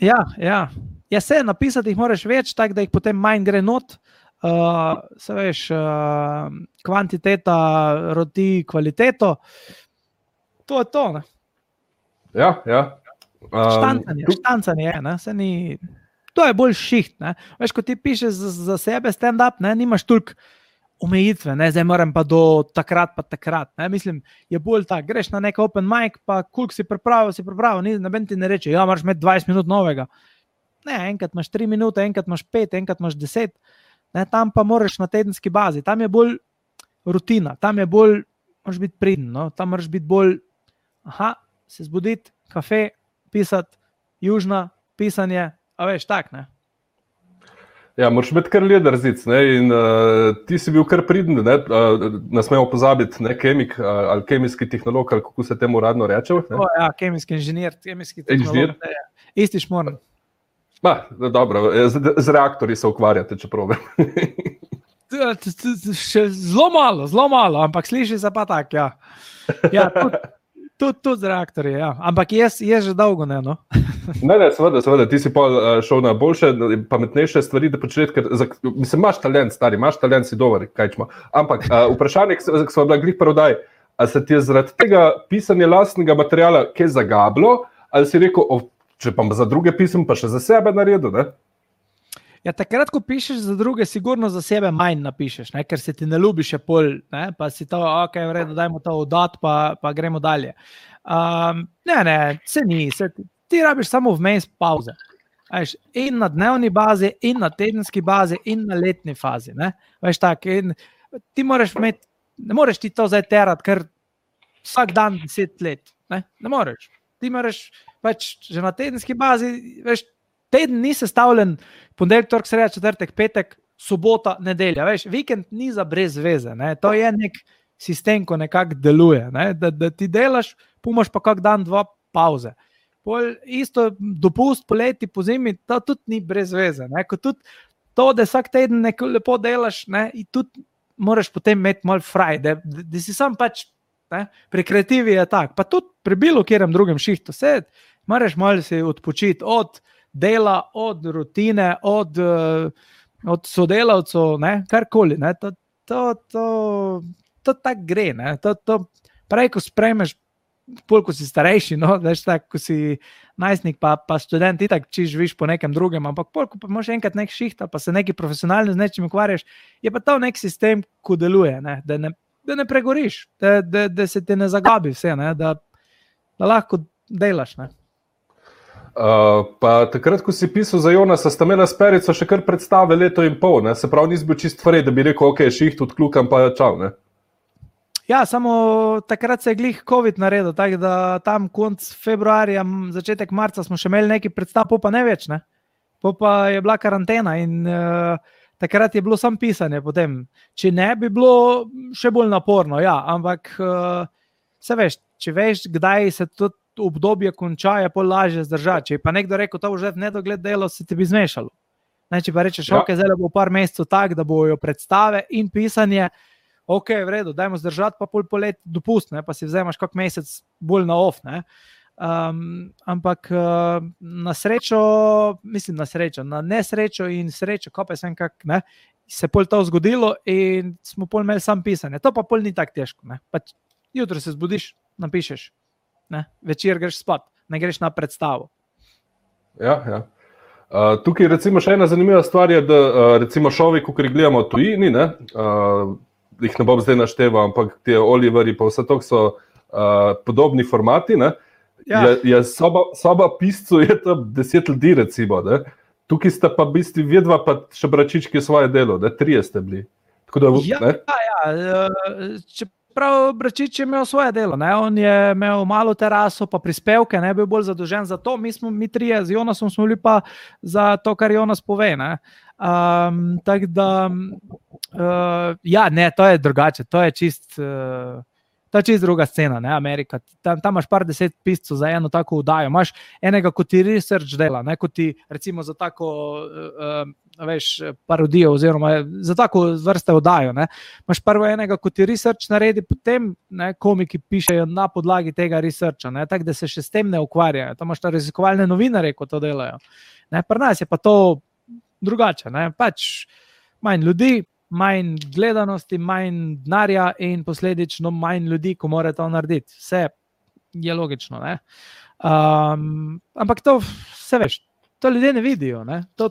ja, ja, ja, se napisati jih moraš več, tako da jih potem manj gre not. uh, se veš, uh, kvantiteta roti kvaliteto. To je to, ne? Ja, ja. Um, Štancanje, tu... štancanje je, ne? Se ni... To je bolj šiht, ne? Veš, ko ti pišeš za, za sebe stand-up, ne, nimaš toliko omejitve, ne, zdaj moram pa do takrat pa takrat, ne, mislim, je bolj tak, greš na nek open mic, pa koliko si pripravil, si pripravil, ni, noben ti ne reče, ja, moraš imeti dvajset minut novega. Ne, enkrat imaš tri minute, enkrat imaš pet, enkrat imaš deset, ne, tam pa moraš na tedenski bazi, tam je bolj rutina, tam je bolj, moraš biti priden, no, tam moraš biti bolj, aha, se zbuditi, kafe, pisati, južna, pisanje, a veš, tak, ne. Ja, moraš imeti kar leder zic, ne, in uh, ti si bil kar priden, ne, uh, ne smemo pozabiti, ne, kemik uh, ali kemijski tehnolog, ali kako se temu radno reče. O, ja, kemijski inženir, kemijski tehnolog, ne, isti šmorn. Ba, dobro, z, z reaktorji se ukvarjate, če probam. Še zelo malo, zelo malo, ampak sliši se pa tak, ja. Ja, tudi, tudi, tudi z reaktorji, ja. Ampak je, je že dolgo, ne, no. Ne, ne, seveda, seveda, ti si pa šel na boljše, pametnejše stvari, da početi, ker, mislim, imaš talent, stari, imaš talent, si dober, kaj čemo. Ampak uh, vprašanje, ki smo bila glih prodaj, a se ti je zaradi tega pisanja lastnega materiala kaj zagablo, ali si rekel, oh, če pa za druge pisem, pa še za sebe naredil, ne? Ja, takrat, ko pišeš za druge, sigurno za sebe manj napišeš, ne? Ker se ti ne ljubi še pol, ne? Pa si to, ok, v redu, dajmo to oddati, pa, pa gremo dalje. Um, ne, ne, se ni, se ti, ti rabiš samo vmes pauze. Veš, in na dnevni bazi, in na tedenski bazi, in na letni fazi, ne? Veš tak, in ti moraš imeti, ne moreš ti to zdaj terati, ker vsak dan deset let, ne? Ne moreš. Ti moraš, pač, že na tedenski bazi, veš, teden ni sestavljen ponedeljek, torek, sreda, četrtek, petek, sobota, nedelja, veš, vikend ni za brez veze, ne? To je nek sistem, ko nekako deluje, ne? Da, da ti delaš, pumaš pa kak dan, dva pauze. Pol isto dopust poleti, po zimi, to tudi ni brez veze, ne? Ko tudi to, da vsak teden neko lepo delaš, ne? In tudi moraš potem imeti malo fraj, da, da, da si sam pač, ne? Pri kreativi je tak, pa tudi pri bilo kjerem drugem šihtu, se moraš malo si odpočiti od dela, od rutine, od, od sodelavcev, ne, karkoli, ne, to, to, to, to tako gre, ne, to, to prej, ko sprejmeš, pol, ko si starejši, no, veš, tak, ko si najstnik, pa, pa študent, itak, či živiš po nekem drugem, ampak pol, ko pa imaš enkrat nek šiht, pa se neki profesionalno z nečim ukvarjaš, je pa to nek sistem, ko deluje, ne, da ne, da ne pregoriš, da, da, da se ti ne zagabi vse, ne, da, da lahko delaš, ne. Uh, pa takrat, ko si pisal za Jonasa, sta imela s Perico še kar predstave leto in pol, ne? Se pravi, nisi bil čist frej, da bi rekel, ok, šiht odklukam, pa čau, ne? Ja, samo takrat se je glih COVID naredil, tako da tam konc februarja, začetek marca smo še imeli neki predstav, po pa ne več, ne? Po pa je bila karantena in uh, takrat je bilo samo pisanje potem. Če ne, bi bilo še bolj naporno, ja, ampak uh, se veš, če veš, kdaj se tudi obdobje konča, je pol lažje zdržati. Če je pa nekdo rekel, to bo že v nedogled delo, se ti bi zmešalo. Ne, če pa rečeš, ja. Ok, zdaj bo par mesecev tak, da bojo predstave in pisanje, ok, v redu, dajmo zdržati, pa pol polet dopust, ne, pa si vzemaš kak mesec bolj na off, ne. Um, ampak uh, na srečo, mislim na srečo, na nesrečo in srečo, ko pa sem kak, ne, se pol to zgodilo in smo pol imeli sam pisanje. To pa pol ni tako težko, ne. Pač jutro se zbudiš, napišeš. Ne, večer greš spat, ne greš na predstavo. Ja, ja. Uh, tukaj recimo še ena zanimiva stvar je, da uh, recimo šovi, ko gledamo tujini, ne, uh, jih ne bom zdaj našteval, ampak te Oliveri pa vse to so uh, podobni formati, ne, ja. je, je soba, soba piscu je tam deset ljudi recimo, ne, tukaj sta pa v bistvu vedva pa še bračički svoje delo, ne, trije ste bili. Tako da, ja, ne? ja, ja, če prav Bračič je imel svoje delo, ne? On je imel malo teraso, pa prispevke, ne bil bolj zadolžen za to, mi smo, mi trije z Jonasom smo bili pa za to, kar Jonas pove, ne. Um, tako da, uh, ja, ne, to je drugače, to je čist, uh, to je čist druga scena, ne, Amerika. Tam, tam imaš par deset piscev za eno tako vdajo, imaš enega, ko ti research dela, ne, ko ti recimo za tako, uh, veš, parodijo oziroma za tako vrste vdajo, ne. Imaš prvo enega, ko ti research naredi, potem, ne, komiki pišejo na podlagi tega researcha, ne, tako da se še s tem ne ukvarjajo. Tam imaš ta raziskovalne novinarje, ko to delajo. Ne, pri nas je pa to drugače, ne, pač manj ljudi, manj gledanosti, manj denarja in posledično manj ljudi, ko mora to narediti. Vse je logično, ne? Um, ampak to vse veš, to ljudje ne vidijo, ne? To,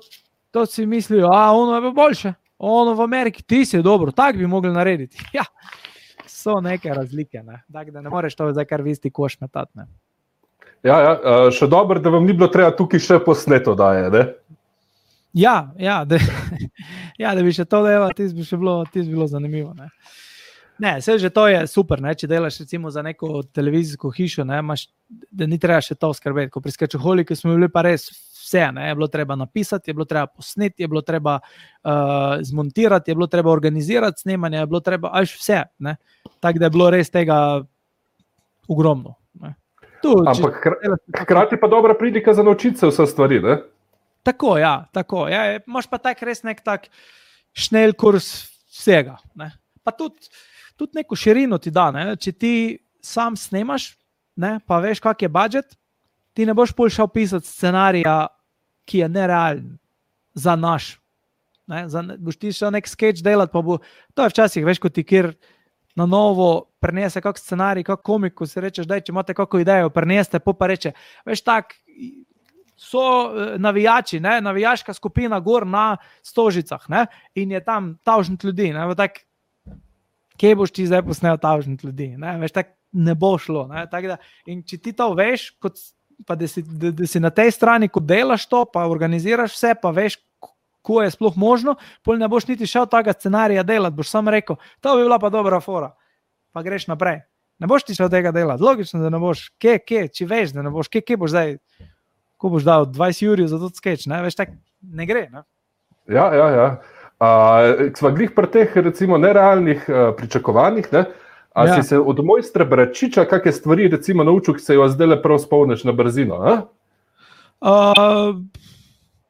to si mislijo, a ono je boljše, ono v Ameriki, ti si dobro, tak bi mogli narediti. Ja, so neke razlike, ne? Tak, da ne moreš to zdaj kar v isti koš metati, ne? Ja, ja, še dobro, da vam ni bilo treba tukaj še posneto daje, ne? Ja, ja, da, ja, da bi še to delal, tis bi še bilo, tis bilo zanimivo, ne? Ne, vse že to je super, ne? Če delaš recimo za neko televizijsko hišo, ne? Maš, da ni treba še to skrbeti, ko pri Skečoholiki smo bili pa res vse, ne? Je bilo treba napisati, je bilo treba posneti, je bilo treba uh, zmontirati, je bilo treba organizirati snemanje, je bilo treba, až vse, ne? Tako da je bilo res tega ogromno, ne? Tu, ampak če, hkrati pa dobra prilika za naučiti se vse stvari, ne? Tako, ja, tako. Ja, imaš pa tak res nek tak šnel kurs vsega, ne? Pa tudi tudi neko širino ti da, ne? Če ti sam snemaš, ne? Pa veš, kak je budžet, ti ne boš pol šel pisati scenarija, ki je nerealen za naš. Ne? Za, boš ti šel nek sketch delati, pa bo, to je včasih, veš, ko ti kjer na novo prenese kak scenarij, kak komik, ko si rečeš, daj, če imate kako idejo, preneste, pa pa reče, veš, tak, so navijači, ne? Navijaška skupina gor na Stožicah, ne? In je tam tavžnit ljudi, ne? Tak, kje boš ti zdaj posnel tavžnit ljudi, ne? Veš, tak ne bo šlo, ne? Tak da, in če ti to veš, kot, pa da si, da, da si na tej strani, ko delaš to, pa organiziraš vse, pa veš, ko je sploh možno, pol ne boš niti šel tega scenarija delati, boš sam rekel, to bi bila pa dobra fora, pa greš naprej. Ne boš ti šel tega delati, logično, da ne boš, kje, kje, če veš, da ne boš, kje, kje boš zdaj, ko boš dal dvajset jurjev za to sketch, ne? Veš, tak ne gre, ne? Ja, ja, ja. Uh, sva glih pri teh, recimo, nerealnih uh, pričakovanjih, ne? A ja. Si se od mojstra Bračiča kakšne stvari, recimo, naučil, ki se jo zdaj prav spomniš na brzino, a? Uh,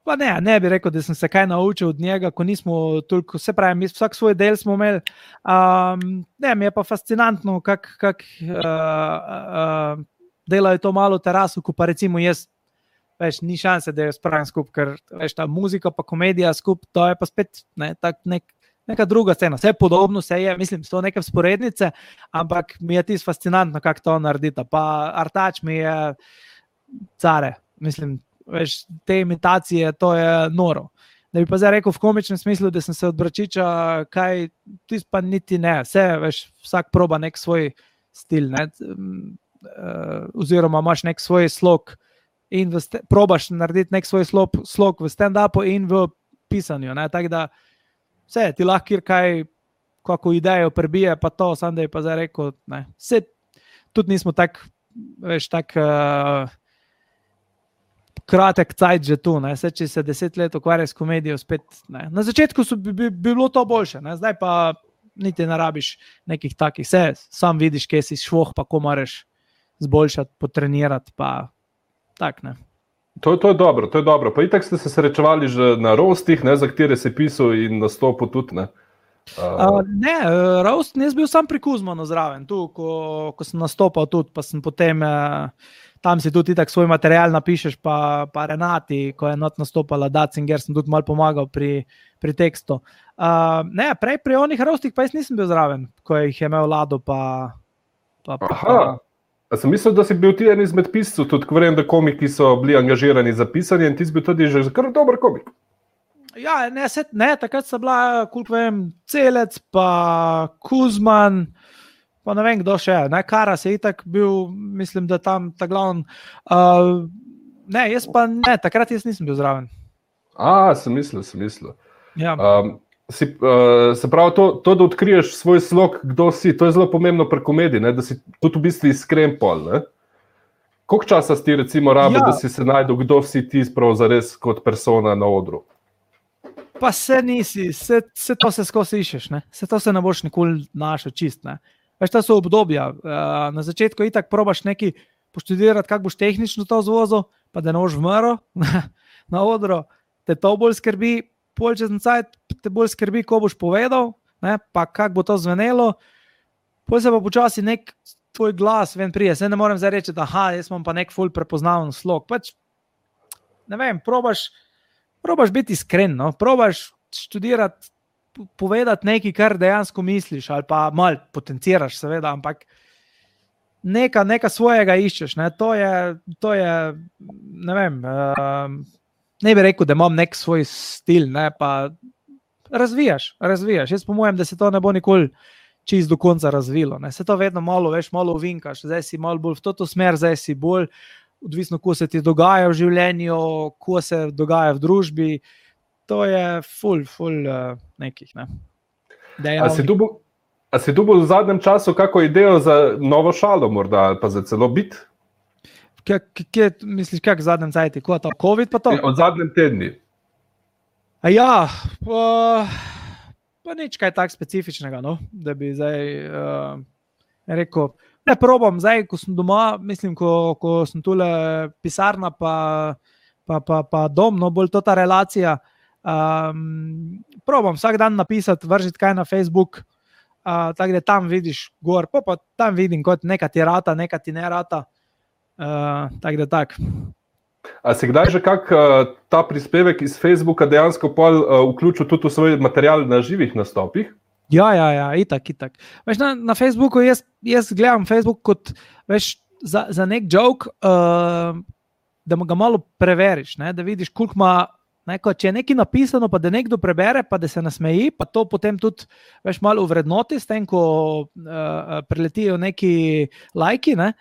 pa ne, ne bi rekel, da sem se kaj naučil od njega, ko nismo toliko, se pravi, mi vsak svoj del smo imeli. Um, ne, mi je pa fascinantno, kak, kak uh, uh, delajo to malo terasu, ko pa recimo jaz, veš, ni šanse, da jo spravim skup, ker veš, ta muzika pa komedija skup, to je pa spet ne, tak nek, neka druga scena. Vse podobno, vse je, mislim, so neke vzporednice, ampak mi je tis fascinantno, kako to naredita. Pa Artač mi je care, mislim, veš, te imitacije, to je noro. Da bi pa zdaj rekel v komičnem smislu, da sem se od Bračiča, kaj, tis pa niti ne, vse, veš, vsak proba nek svoj stil, ne, uh, oziroma imaš nek svoj slog, in v st- probaš narediti nek svoj slog, slog v stand-upu in v pisanju. Tako da vse, ti lahko kjer kaj, kako idejo prebije, pa to, sam da je pa zdaj rekel, ne. Vse, tudi nismo tak, veš, tak uh, kratek cajt že tu, ne. Vse, če se deset let ukvarja s komedijo, spet, ne. Na začetku so bi, bi, bi bilo to boljše, ne. Zdaj pa niti ne rabiš nekih takih, vse, sam vidiš, kje si švoh, pa ko moraš zboljšati, potrenirati, pa tak, ne. To, to je dobro, to je dobro. Pa itak ste se srečevali že na rostih, ne, za katere se pisal in nastopu tudi, ne? Uh... Uh, ne, roast, jaz bil sam pri Kuzmanu zraven, tu, ko, ko sem nastopal tudi, pa sem potem, uh, tam si tudi itak svoj material napišeš, pa, pa Renati, ko je not nastopala Datzinger, sem tudi malo pomagal pri, pri tekstu. Uh, ne, prej pri onih roastih pa jaz nisem bil zraven, ko jih je imel Lado, pa... pa, pa Aha. A sem mislil, da si bil ti en izmed piscev, tudi ko vem, da komiki so bili angažirani za pisanje in ti si bil tudi že kar dober komik. Ja, ne, set, ne takrat so bila, koliko vem, Celec, pa Kuzman, pa ne vem, kdo še, ne, Karas je itak bil, mislim, da tam ta glavn. Uh, ne, jaz pa ne, takrat jaz nisem bil zraven. A, sem mislil, sem mislil. Ja. Um, Si, uh, se pravi, to, to, da odkriješ svoj slog, kdo si, to je zelo pomembno pri komediji, ne? Da si tudi v bistvu iskren pol. Ne? Koliko časa si ti recimo rabi, ja. Da si se najdel, kdo si ti sprav zares kot persona na odru? Pa se nisi, se, se to se skozi išeš, ne? Se to se ne boš nikoli našel čist. Ne? Veš, to so obdobja. Uh, na začetku itak probaš neki poštudirati, kako boš tehnično to zvozil, pa da ne boš vmrl na odru, te to bolj skrbi. Pol čez cajt te bolj skrbi, ko boš povedal, ne, pa kako bo to zvenelo, pol se pa počasi nek tvoj glas ven prije. Se ne morem zdaj reči, da aha, jaz imam pa nek ful prepoznaven slog. Pač, ne vem, probaš, probaš biti iskren, no? Probaš študirati povedati nekaj, kar dejansko misliš, ali pa malo potenciraš, seveda, ampak neka, neka svojega iščeš. Ne? To je, to je, ne vem, uh, ne bi rekel, da imam nek svoj stil, ne? Pa razvijaš, razvijaš. Jaz po mojem, da se to ne bo nikoli čist do konca razvilo. Ne? Se to vedno malo, veš, malo uvinkaš, zdaj si malo bolj v to smer, zdaj si bolj odvisno, ko se ti dogaja v življenju, ko se dogaja v družbi, to je ful, ful uh, nekih. Ne. A si dubil, a si dubil v zadnjem času kako idejo za novo šalo morda, ali pa za celo bit? Kje, kje misliš, kak v zadnjem cajti? Ko je to? COVID pa to? Od zadnjem tedni. A ja, pa, pa nič kaj tak specifičnega, no, da bi zdaj uh, rekel, ne probam, zdaj, ko sem doma, mislim, ko, ko sem tule pisarna pa, pa, pa, pa dom, no, bolj to ta relacija, um, probam vsak dan napisati, vržiti kaj na Facebook, uh, tako da tam vidiš gor, pa, pa tam vidim, kot neka ti rata, neka ti ne rata, uh, tako da tak. A si kdaj že kak uh, ta prispevek iz Facebooka dejansko pol uh, vključil tudi v svoj material na živih nastopih? Ja, ja, ja, itak, itak. Veš, na, na Facebooku jaz, jaz gledam Facebook kot, veš, za, za nek joke, uh, da ga malo preveriš, ne, da vidiš, koliko ima, neko, če je nekaj napisano, pa da nekdo prebere, pa da se nasmeji, pa to potem tudi, veš, malo uvrednoti, s tem, ko uh, preletijo neki lajki, ne,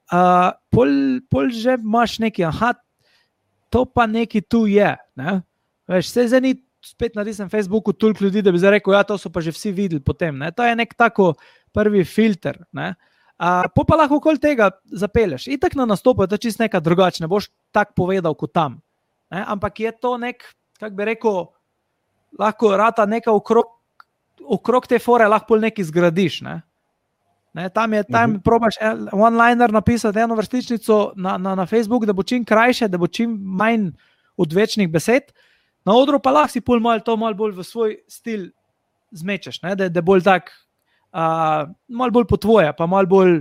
uh, pol, pol že imaš neki, aha, to pa neki tu je, ne, veš, se zdaj ni spet na tistem Facebooku toliko ljudi, da bi zdaj rekel, ja, to so pa že vsi videli potem. Ne? To je nek tako prvi filter. Ne? A, po pa lahko okoli tega zapelješ. Itak na nastopu je to čist nekaj drugače, ne boš tak povedal kot tam. Ne? Ampak je to nek, kak bi rekel, lahko rata neka okrog, okrog te fore lahko nekaj zgradiš. Ne? Ne? Tam je, tam uh-huh. probaš one-liner napisati eno vrstičnico na, na, na Facebook, da bo čim krajše, da bo čim manj odvečnih besed. Na odru pa lahko si pol malo to malo bolj v svoj stil zmečeš, ne? Da je bolj tak, uh, malo bolj po tvoje, pa malo bolj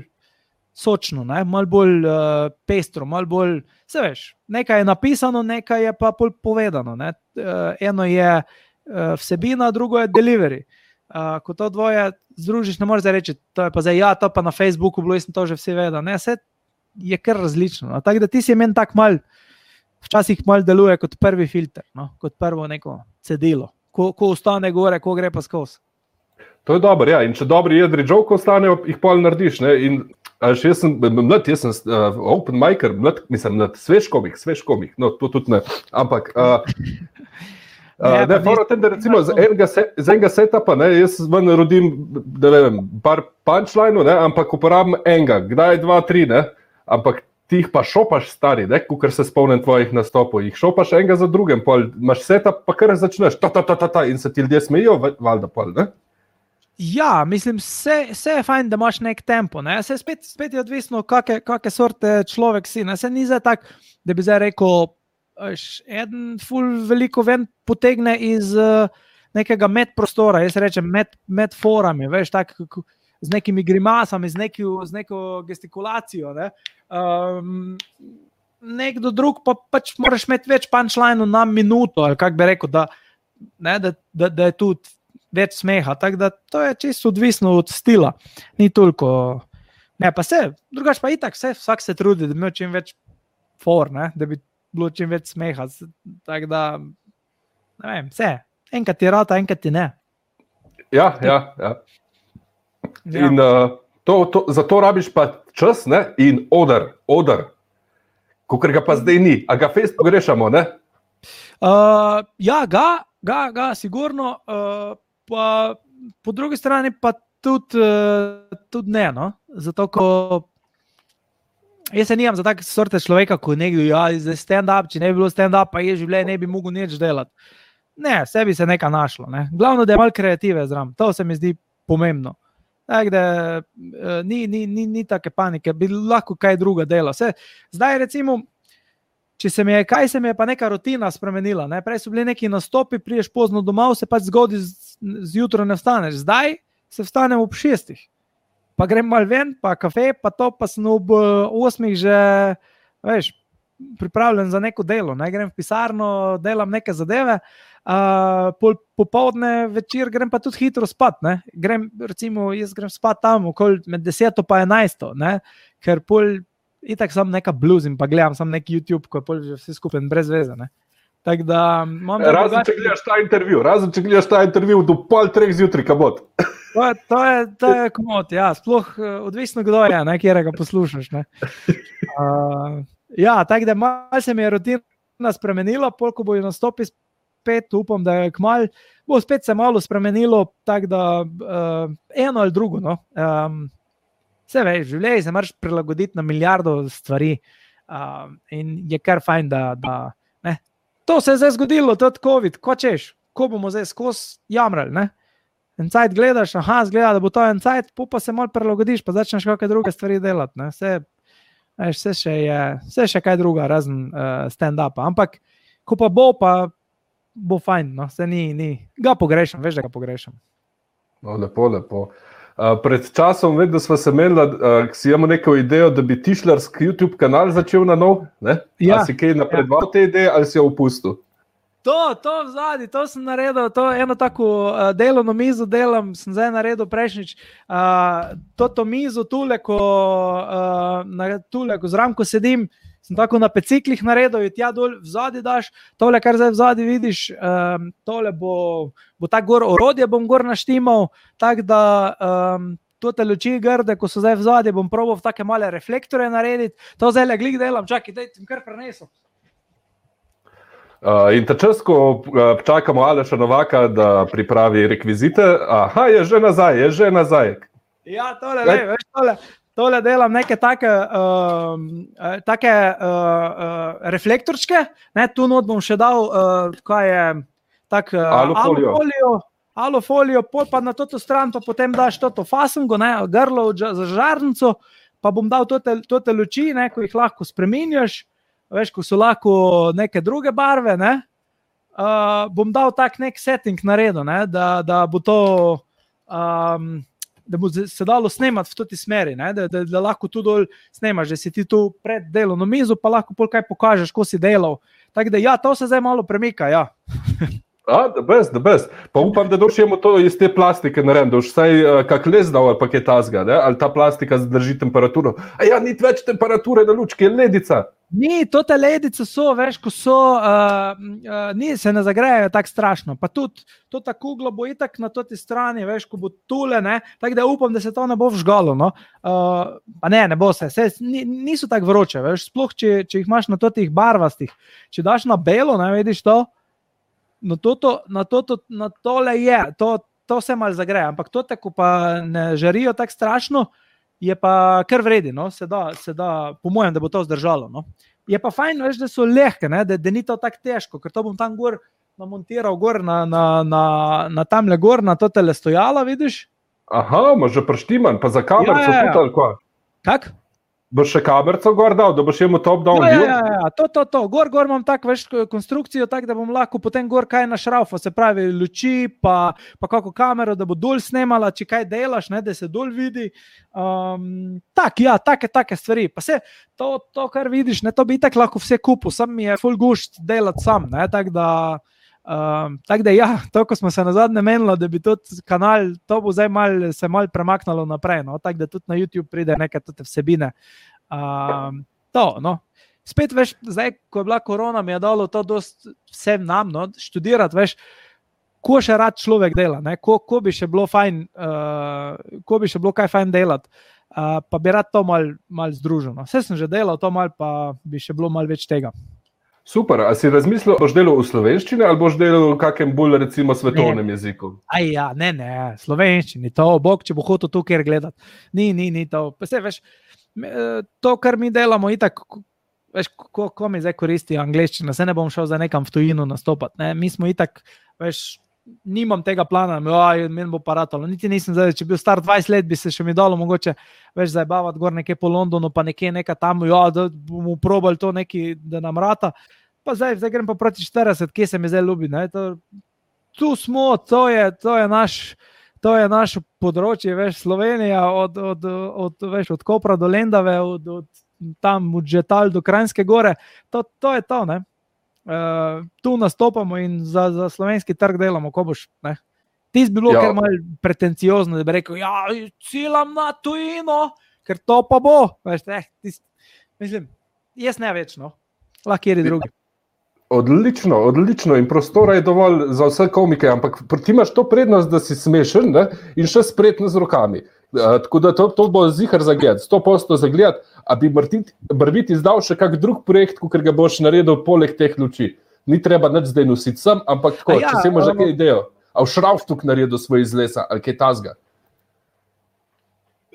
sočno, ne? Malo bolj uh, pestro, malo bolj, se veš, nekaj je napisano, nekaj je pa pol povedano. Ne? Uh, eno je uh, vsebina, drugo je delivery. Uh, ko to dvoje združiš, ne moreš zdaj reči, to je pa zdaj, ja, to pa na Facebooku bilo, jaz sem to že vsi vedel. Ne? Vse je kar različno. No? Tako da ti si meni tak mal včasih malo deluje kot prvi filter, no? Kot prvo neko cedilo. Ko, ko ostane gore, ko gre pa skozi. To je dobro, ja. In če dobri jedri joke ostanejo, jih pol narediš. Ne? In až jaz sem mlad, jaz sem uh, open micer, mlad, mislim, mlad, svež komik, svež komik. No, to tudi ne. Ampak, uh, uh, ne, fora tem, da recimo z enega, set, z enega setupa, ne, jaz ven rodim, da ne vem, par punchline-u, ne, ampak uporabim enega, kdaj dva, tri, ne, ampak ti jih pa šopaš stari, ne, kukor se spomnim tvojih nastopov, jih šopaš enega za drugim, pol imaš setup, pa kar začneš, ta, ta, ta, ta, ta, in se ti ljudje smejijo, valjda pol, ne? Ja, mislim, vse, vse je fajn, da imaš nek tempo, ne, se spet, spet je odvisno, kakve, kakve sorte človek si, ne, se ni zdaj tak, da bi zdaj rekel, eden ful veliko ven potegne iz uh, nekega med prostora, jaz rečem med, med forami, veš, tak, z nekimi grimasami, z, neki, z neko gestikulacijo. Ne? Um, nekdo drug pa pač moraš imeti več punchline na minuto, ali kak bi rekel, da, ne, da, da, da je tudi več smeha. Tako da to je čisto odvisno od stila. Ni toliko. Ne, pa se, drugač pa itak, vse, vsak se trudi, da bi imel čim več for, ne? Da bi bilo čim več smeha. Tako da, ne vem, vse. Enkrat ti rata, enkrat ti ne. Ja, ja, ja. Ja. In uh, to, to, za to rabiš pa čas, ne? In oder, oder, kakor ga pa zdaj ni. A ga fest pogrešamo, ne? Uh, ja, ga, ga, ga, sigurno. Uh, pa po drugi strani pa tudi, uh, tudi ne, no? Zato, ko jaz se nijam za tak sorte človeka, ko nekdo, ja, za stand-up, če ne bi bilo stand-up, pa je življenje, ne bi mogel nič delati. Ne, sebi se nekaj našlo, ne? Glavno, da je malo kreative zram. To se mi zdi pomembno. Tak, da, ni, ni, ni, ni take panike, bi lahko kaj druga dela. Se, zdaj recimo, če se mi je, kaj se mi je pa neka rutina spremenila, ne? Prej so bili neki nastopi, priješ pozno domov, se pač zgodi zjutraj ne vstaneš. Zdaj se vstanem ob šestih, pa grem malo ven, pa kafe, pa to, pa sem ob osmih že, veš, pripravljen za neko delo, ne? Grem v pisarno, delam neke zadeve, uh, pol, popoldne, večer grem pa tudi hitro spat, ne? Grem, recimo, jaz grem spat tam okoli med deseto pa enajsto, ne? Ker pol itak sam neka bluzim, pa gledam sam neki YouTube, ko je pol že vse skupaj brez veze, ne? Tak da, razen, če gledaš ta intervju, razen če gledaš ta intervju do pol treh zjutraj, kabot. To je, to je, to je komot, ja, sploh odvisno kdo je, ne, kjerega poslušaš, ne. Uh, ja, tako da malo se mi je rutina spremenila, pol ko bo jo nastopi spet, upam, da je kmalu, bo spet se malo spremenilo, tako da uh, eno ali drugo, no. Um, vse veš, življenje se moraš prilagoditi na milijardo stvari uh, in je kar fajn, da, da ne. To se je zdaj zgodilo, to je COVID, ko češ, ko bomo zdaj skozi jamrali, ne. En cajt gledaš, aha, zgleda, da bo to en cajt, pa se malo prilagodiš, pa začneš kakve druge stvari delati, ne. Vse, veš, vse, še je, vse še kaj druga, razen uh, stand-upa, ampak ko pa bo, pa bo fajn, no, se ni, ni, ga pogrešam, veš, da ga pogrešam. No, lepo, lepo. Uh, pred časom vem, da sva se menila, uh, si imamo neko idejo, da bi tišlarski YouTube kanal začel na nov, ne? Ja, a si kaj napredval ja. Te ideje ali si jo opustil? To, to vzadi, to sem naredil, to eno tako uh, delovno mizo delam, sem zdaj naredil prejšnjič, uh, to mizo tule, ko, uh, na, tule, ko zraven, ko sedim, sem tako na peciklih naredil, in tja dol vzadi daš, tole, kar zdaj vzadi vidiš, um, tole bo, bo tak gor orodje, bom gor naštimal, tak da um, tote luči grde, ko so zdaj vzadi, bom probal v take male reflektore narediti, to zdaj le glik delam, čakaj, daj, sem kar prenesel. Uh, in ta čas, ko uh, čakamo Aleša Novaka, da pripravi rekvizite, aha, je že nazaj, je že nazaj. Ja, tole, le, veš, tole, tole delam neke take, uh, take uh, uh, reflektorčke, ne, tu not bom še dal, uh, kaj je, tak uh, alufolijo, alufolijo, alufolijo, pol pa na toto stran, pa potem daš toto fasengo, ne, grlo za žarnico, pa bom dal tote, tote luči, ne, ko jih lahko spreminjaš, veš, ko so lahko neke druge barve, ne, uh, bom dal tak nek setting naredil, ne, da, da bo to, um, da bo se dalo snemati v toti smeri, ne, da, da, da lahko tu dol snemaš, da si ti tu pred delovno mizo, pa lahko pol kaj pokažeš, ko si delal. Tako da ja, to se zdaj malo premika, ja. A, da best, da best. Pa upam, da doš imamo to iz te plastike narediti, da už vsaj uh, kak les dal ali pa kaj tazga, ne, ali ta plastika zadrži temperaturo. A ja, ni več temperature na lučki, je ledica. Ni, to te ledice so, veš, ko so, uh, uh, ni, se ne zagrejajo tako strašno, pa tudi to ta kugla bo itak na toti strani, veš, ko bo tule, ne, tako da upam, da se to ne bo vžgalo, no, uh, pa ne, ne bo se, se niso tako vroče, veš, sploh, če, če jih imaš na totih barvastih, če daš na belo, ne, vidiš to, no, toto, na, toto, na tole je, to, to se malo zagreja, ampak tote, ko pa ne žarijo tako strašno, je pa kar vredi, no, se da, se da, po mojem, da bo to zdržalo, no. Je pa fajn, veš, da so lehke, ne, da, da ni to tako težko, ker to bom tam gor namontiral gor na, na, na, na tamle gor, na to tele stojala, vidiš? Aha, imaš že prištiman, pa za kamerco ja, ja, ja. tudi ali kva? Kak? Boš še kamerco gor dal, da boš imel top down ja, view? Ja, ja, ja, to, to, to, gor, gor imam tak, veš, konstrukcijo, tak, da bom lahko potem gor kaj našraufal, se pravi luči, pa, pa kako kamero, da bo dol snemala, če kaj delaš, ne, da se dol vidi. Um, tak, ja, take, take stvari. Pa se, to, to, kar vidiš, ne, to bi itak lahko vse kupil, sam mi je ful gušt delati sam, ne, tak da, um, tak da, ja, to, ko smo se nazadnje menilo, da bi tudi kanal, to bo zdaj mal, se mal premaknalo naprej, no, tak da tudi na YouTube pride neke tote vsebine. Um, to, no. Spet, veš, zdaj, ko je bila korona, mi je dalo to dost vsem nam, no, študirati, veš, ko še rad človek dela, ne, ko, ko bi še bilo fajn, uh, ko bi še bilo kaj fajn delati, uh, pa bi rad to mal, mal združil, no. Vse sem že delal, to mal pa bi še bilo mal več tega. Super, a si razmislil, boš delal v slovenščini ali boš delal v kakem bolj, recimo, svetovnem ne. jeziku? Aj ja, ne, ne, slovenščini, to, bog, če bo hotel tu kjer gledati. Ni, ni, ni to, pa se, veš, to, kar mi delamo, itak, veš, ko, ko mi zdaj koristi angleščina, se ne bom šel za nekam v tujino nastopati, ne, mi smo itak, veš, nimam tega plana, oj, meni bo pa ratalo, niti nisem zdaj, če bil star dvajset let, bi se še mi dalo mogoče, veš, zajbavati gor nekje po Londonu, pa nekje neka tam, ja, da bomo probali to neki, da nam rata, pa zdaj, zdaj grem pa proti štirideset, kje se mi zdaj ljubi, ne, to, tu smo, to je, to je naš, to je naše področje, veš, Slovenija, od, od, od, veš, od Kopra do Lendave, od, od tam od Žetal do Kranjske gore, to, to je to, ne. Uh, tu nastopamo in za, za slovenski trg delamo, ko boš, ne. Tis bi bilo Ja. kar malo pretenciozno, da bi rekel, ja, ciljam na tujino, ker to pa bo. Veš, eh, tis, mislim, jaz ne več, no. Lahko kjeri drugi. Odlično, odlično in prostora je dovolj za vse komike, ampak ti imaš to prednost, da si smešen, ne? In še spretno z rokami. Uh, tako da to, to bo zihar za gled, sto posto za gled, a bi Brbit izdal še kak drug projekt, ker ga boš naredil poleg teh luči. Ni treba nič zdaj nositi sem, ampak tako, ja, če si imaš um, kaj idejo. A v šravštuk naredil svoj iz lesa, ali kaj tazga?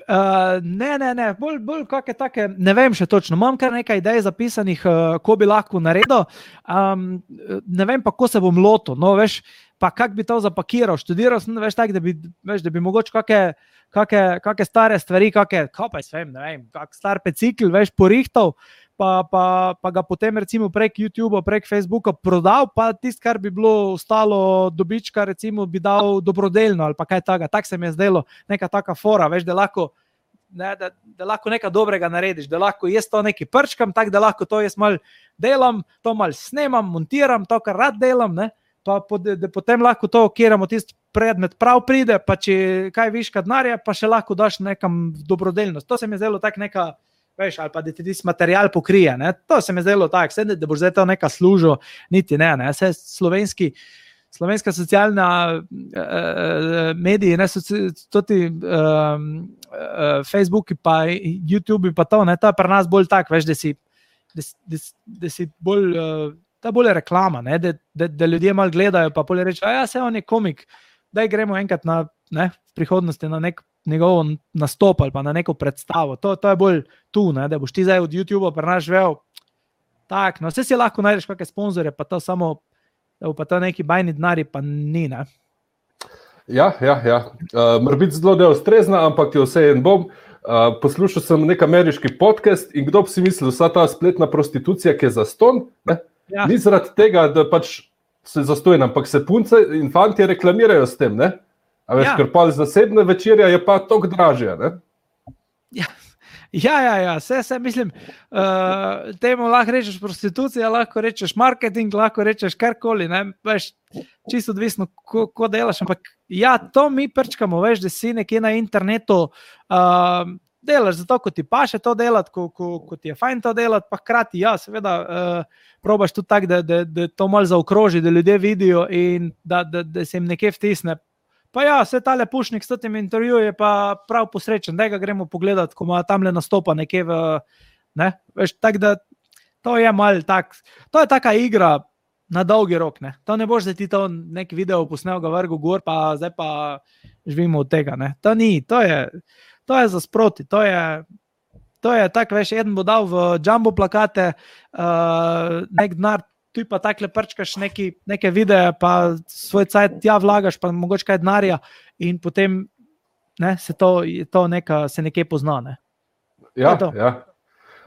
Uh, ne, ne, ne, bolj, bolj kakšne take, ne vem še točno, imam kar nekaj idej zapisanih, uh, ko bi lahko naredil, um, ne vem pa, ko se bom lotil, no, veš, pa kak bi to zapakiral, študiral sem, veš, tak, da bi, veš, da bi mogoče kakšne, kakšne, kakšne stare stvari, kakšne, kaj pa vem, ne vem, kak star pecikl, veš, porihtal, pa, pa, pa ga potem recimo prek YouTubea, prek Facebooka prodal, pa tist, kar bi bilo ostalo dobička, recimo bi dal dobrodelno ali pa kaj taga. Tak se mi je zdelo, neka taka fora, veš, da lahko, ne, da, da lahko nekaj dobrega narediš, da lahko jaz to nekaj prčkam, tak, da lahko to jaz mal delam, to mal snemam, montiram, to, kar rad delam, ne, pa da, da potem lahko to okiramo, tist predmet prav pride, pa če kaj viška denarja, pa še lahko daš nekam dobrodelnost. To se mi je zdelo tak neka, veš, ali pa da ti tisti material pokrije, ne? To se mi zdelo tak, sedaj, da boš zdaj to neka služil, niti ne, ne, vse slovenski, slovenska socialna uh, mediji, ne, so ti uh, uh, Facebooki pa YouTubei pa to, ne, to je pri nas bolj tak, veš, da si, da, da, da si bolj, uh, ta bolj reklama, ne, da, da, da ljudje malo gledajo, pa bolj reče, a ja, se on je komik, daj gremo enkrat na, ne, v prihodnosti na nek njegovo nastop ali pa na neko predstavo. To, to je bolj tu, ne, da boš ti zdaj od YouTubea prenaš vel. Tak, no, vse si lahko najdeš kakšne sponzorje, pa to samo, da pa to neki bajni denari, pa ni, ne. Ja, ja, ja. Uh, mora biti zelo neustrezna, ampak jo vse en bom. Uh, poslušal sem nek ameriški podcast in kdo bi si mislil, vsa ta spletna prostitucija, ki je zastonj, ne? Ja. Ni zaradi tega, da pač se zastojna, ampak se punce in fantje reklamirajo s tem, ne? A veš, ja. Ker pa zasebne večerja je pa toliko dražja, ne? Ja, ja, ja, ja. Vse, vse mislim, uh, temu lahko rečeš prostitucija, lahko rečeš marketing, lahko rečeš karkoli, ne, veš, čisto odvisno, ko, ko delaš, ampak ja, to mi prčkamo, veš, da si nekje na internetu uh, delaš zato, ko ti paše to delati, ko, ko, ko ti je fajn to delati, pa hkrati, ja, seveda, uh, probaš tudi tako, da, da, da to malo zaokroži, da ljudje vidijo in da, da, da se jim nekje vtisne. Pa ja, vse tale Pušnik s tem intervju je pa prav posrečen, da ga gremo pogledati, ko ima tamle nastopa nekje v, ne, veš, tako da to je malo tak, to je taka igra na dolgi rok, ne, to ne boš, da ti to nek video posnel ga vrgu gor, pa zdaj pa živimo od tega, ne, to ni, to je, to je za sproti, to je, to je tak, veš, eden bo dal v jumbo plakate, uh, nek denar, tu pa takle prčkaš neki, neke videe, pa svoj cajt tja vlagaš, pa mogoče kaj denarja in potem, ne, se to, to neka, se nekje pozna, ne. Ja, ja.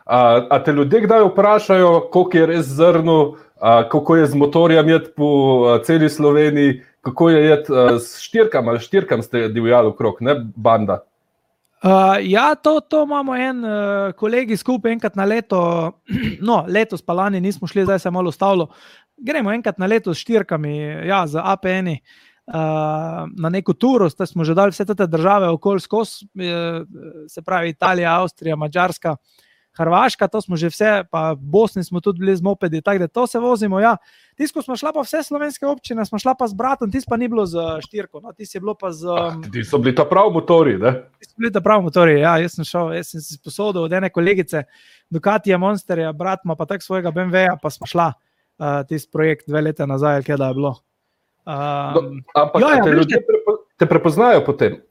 A, a te ljudje kdaj vprašajo, koliko je res zrno, a, kako je z motorjem jet po a, celi Sloveniji, kako je jet a, s štirkam ali štirkam ste divjali okrog, ne, banda? Uh, ja, to, to imamo en uh, kolegi skupaj enkrat na leto, no, letos pa lani nismo šli, zdaj se je malo ustavilo, gremo enkrat na leto s štirkami, ja, z A P N-i uh, na neko turo, zdaj smo že dali vse te države okoli skozi, uh, se pravi Italija, Avstrija, Madžarska, Hrvaška, to smo že vse, pa v Bosni smo tudi bili z mopedi, tako da to se vozimo, ja. Tisko smo šla pa vse slovenske občine, smo šla pa z bratom, tis pa ni bilo z štirko, no, tis je bilo pa z... Um, ti so bili ta prav motori, ne? Ti so bili ta prav motori, ja, jaz sem šel, jaz sem si sposodil od ene kolegice Ducatija Monsterja, brat ima pa tak svojega B M W-ja, pa smo šla uh, tis projekt dve leta nazaj, ali kje da je bilo. Um, no, ampak ja, ja, te ljudje prepo, te prepoznajo potem?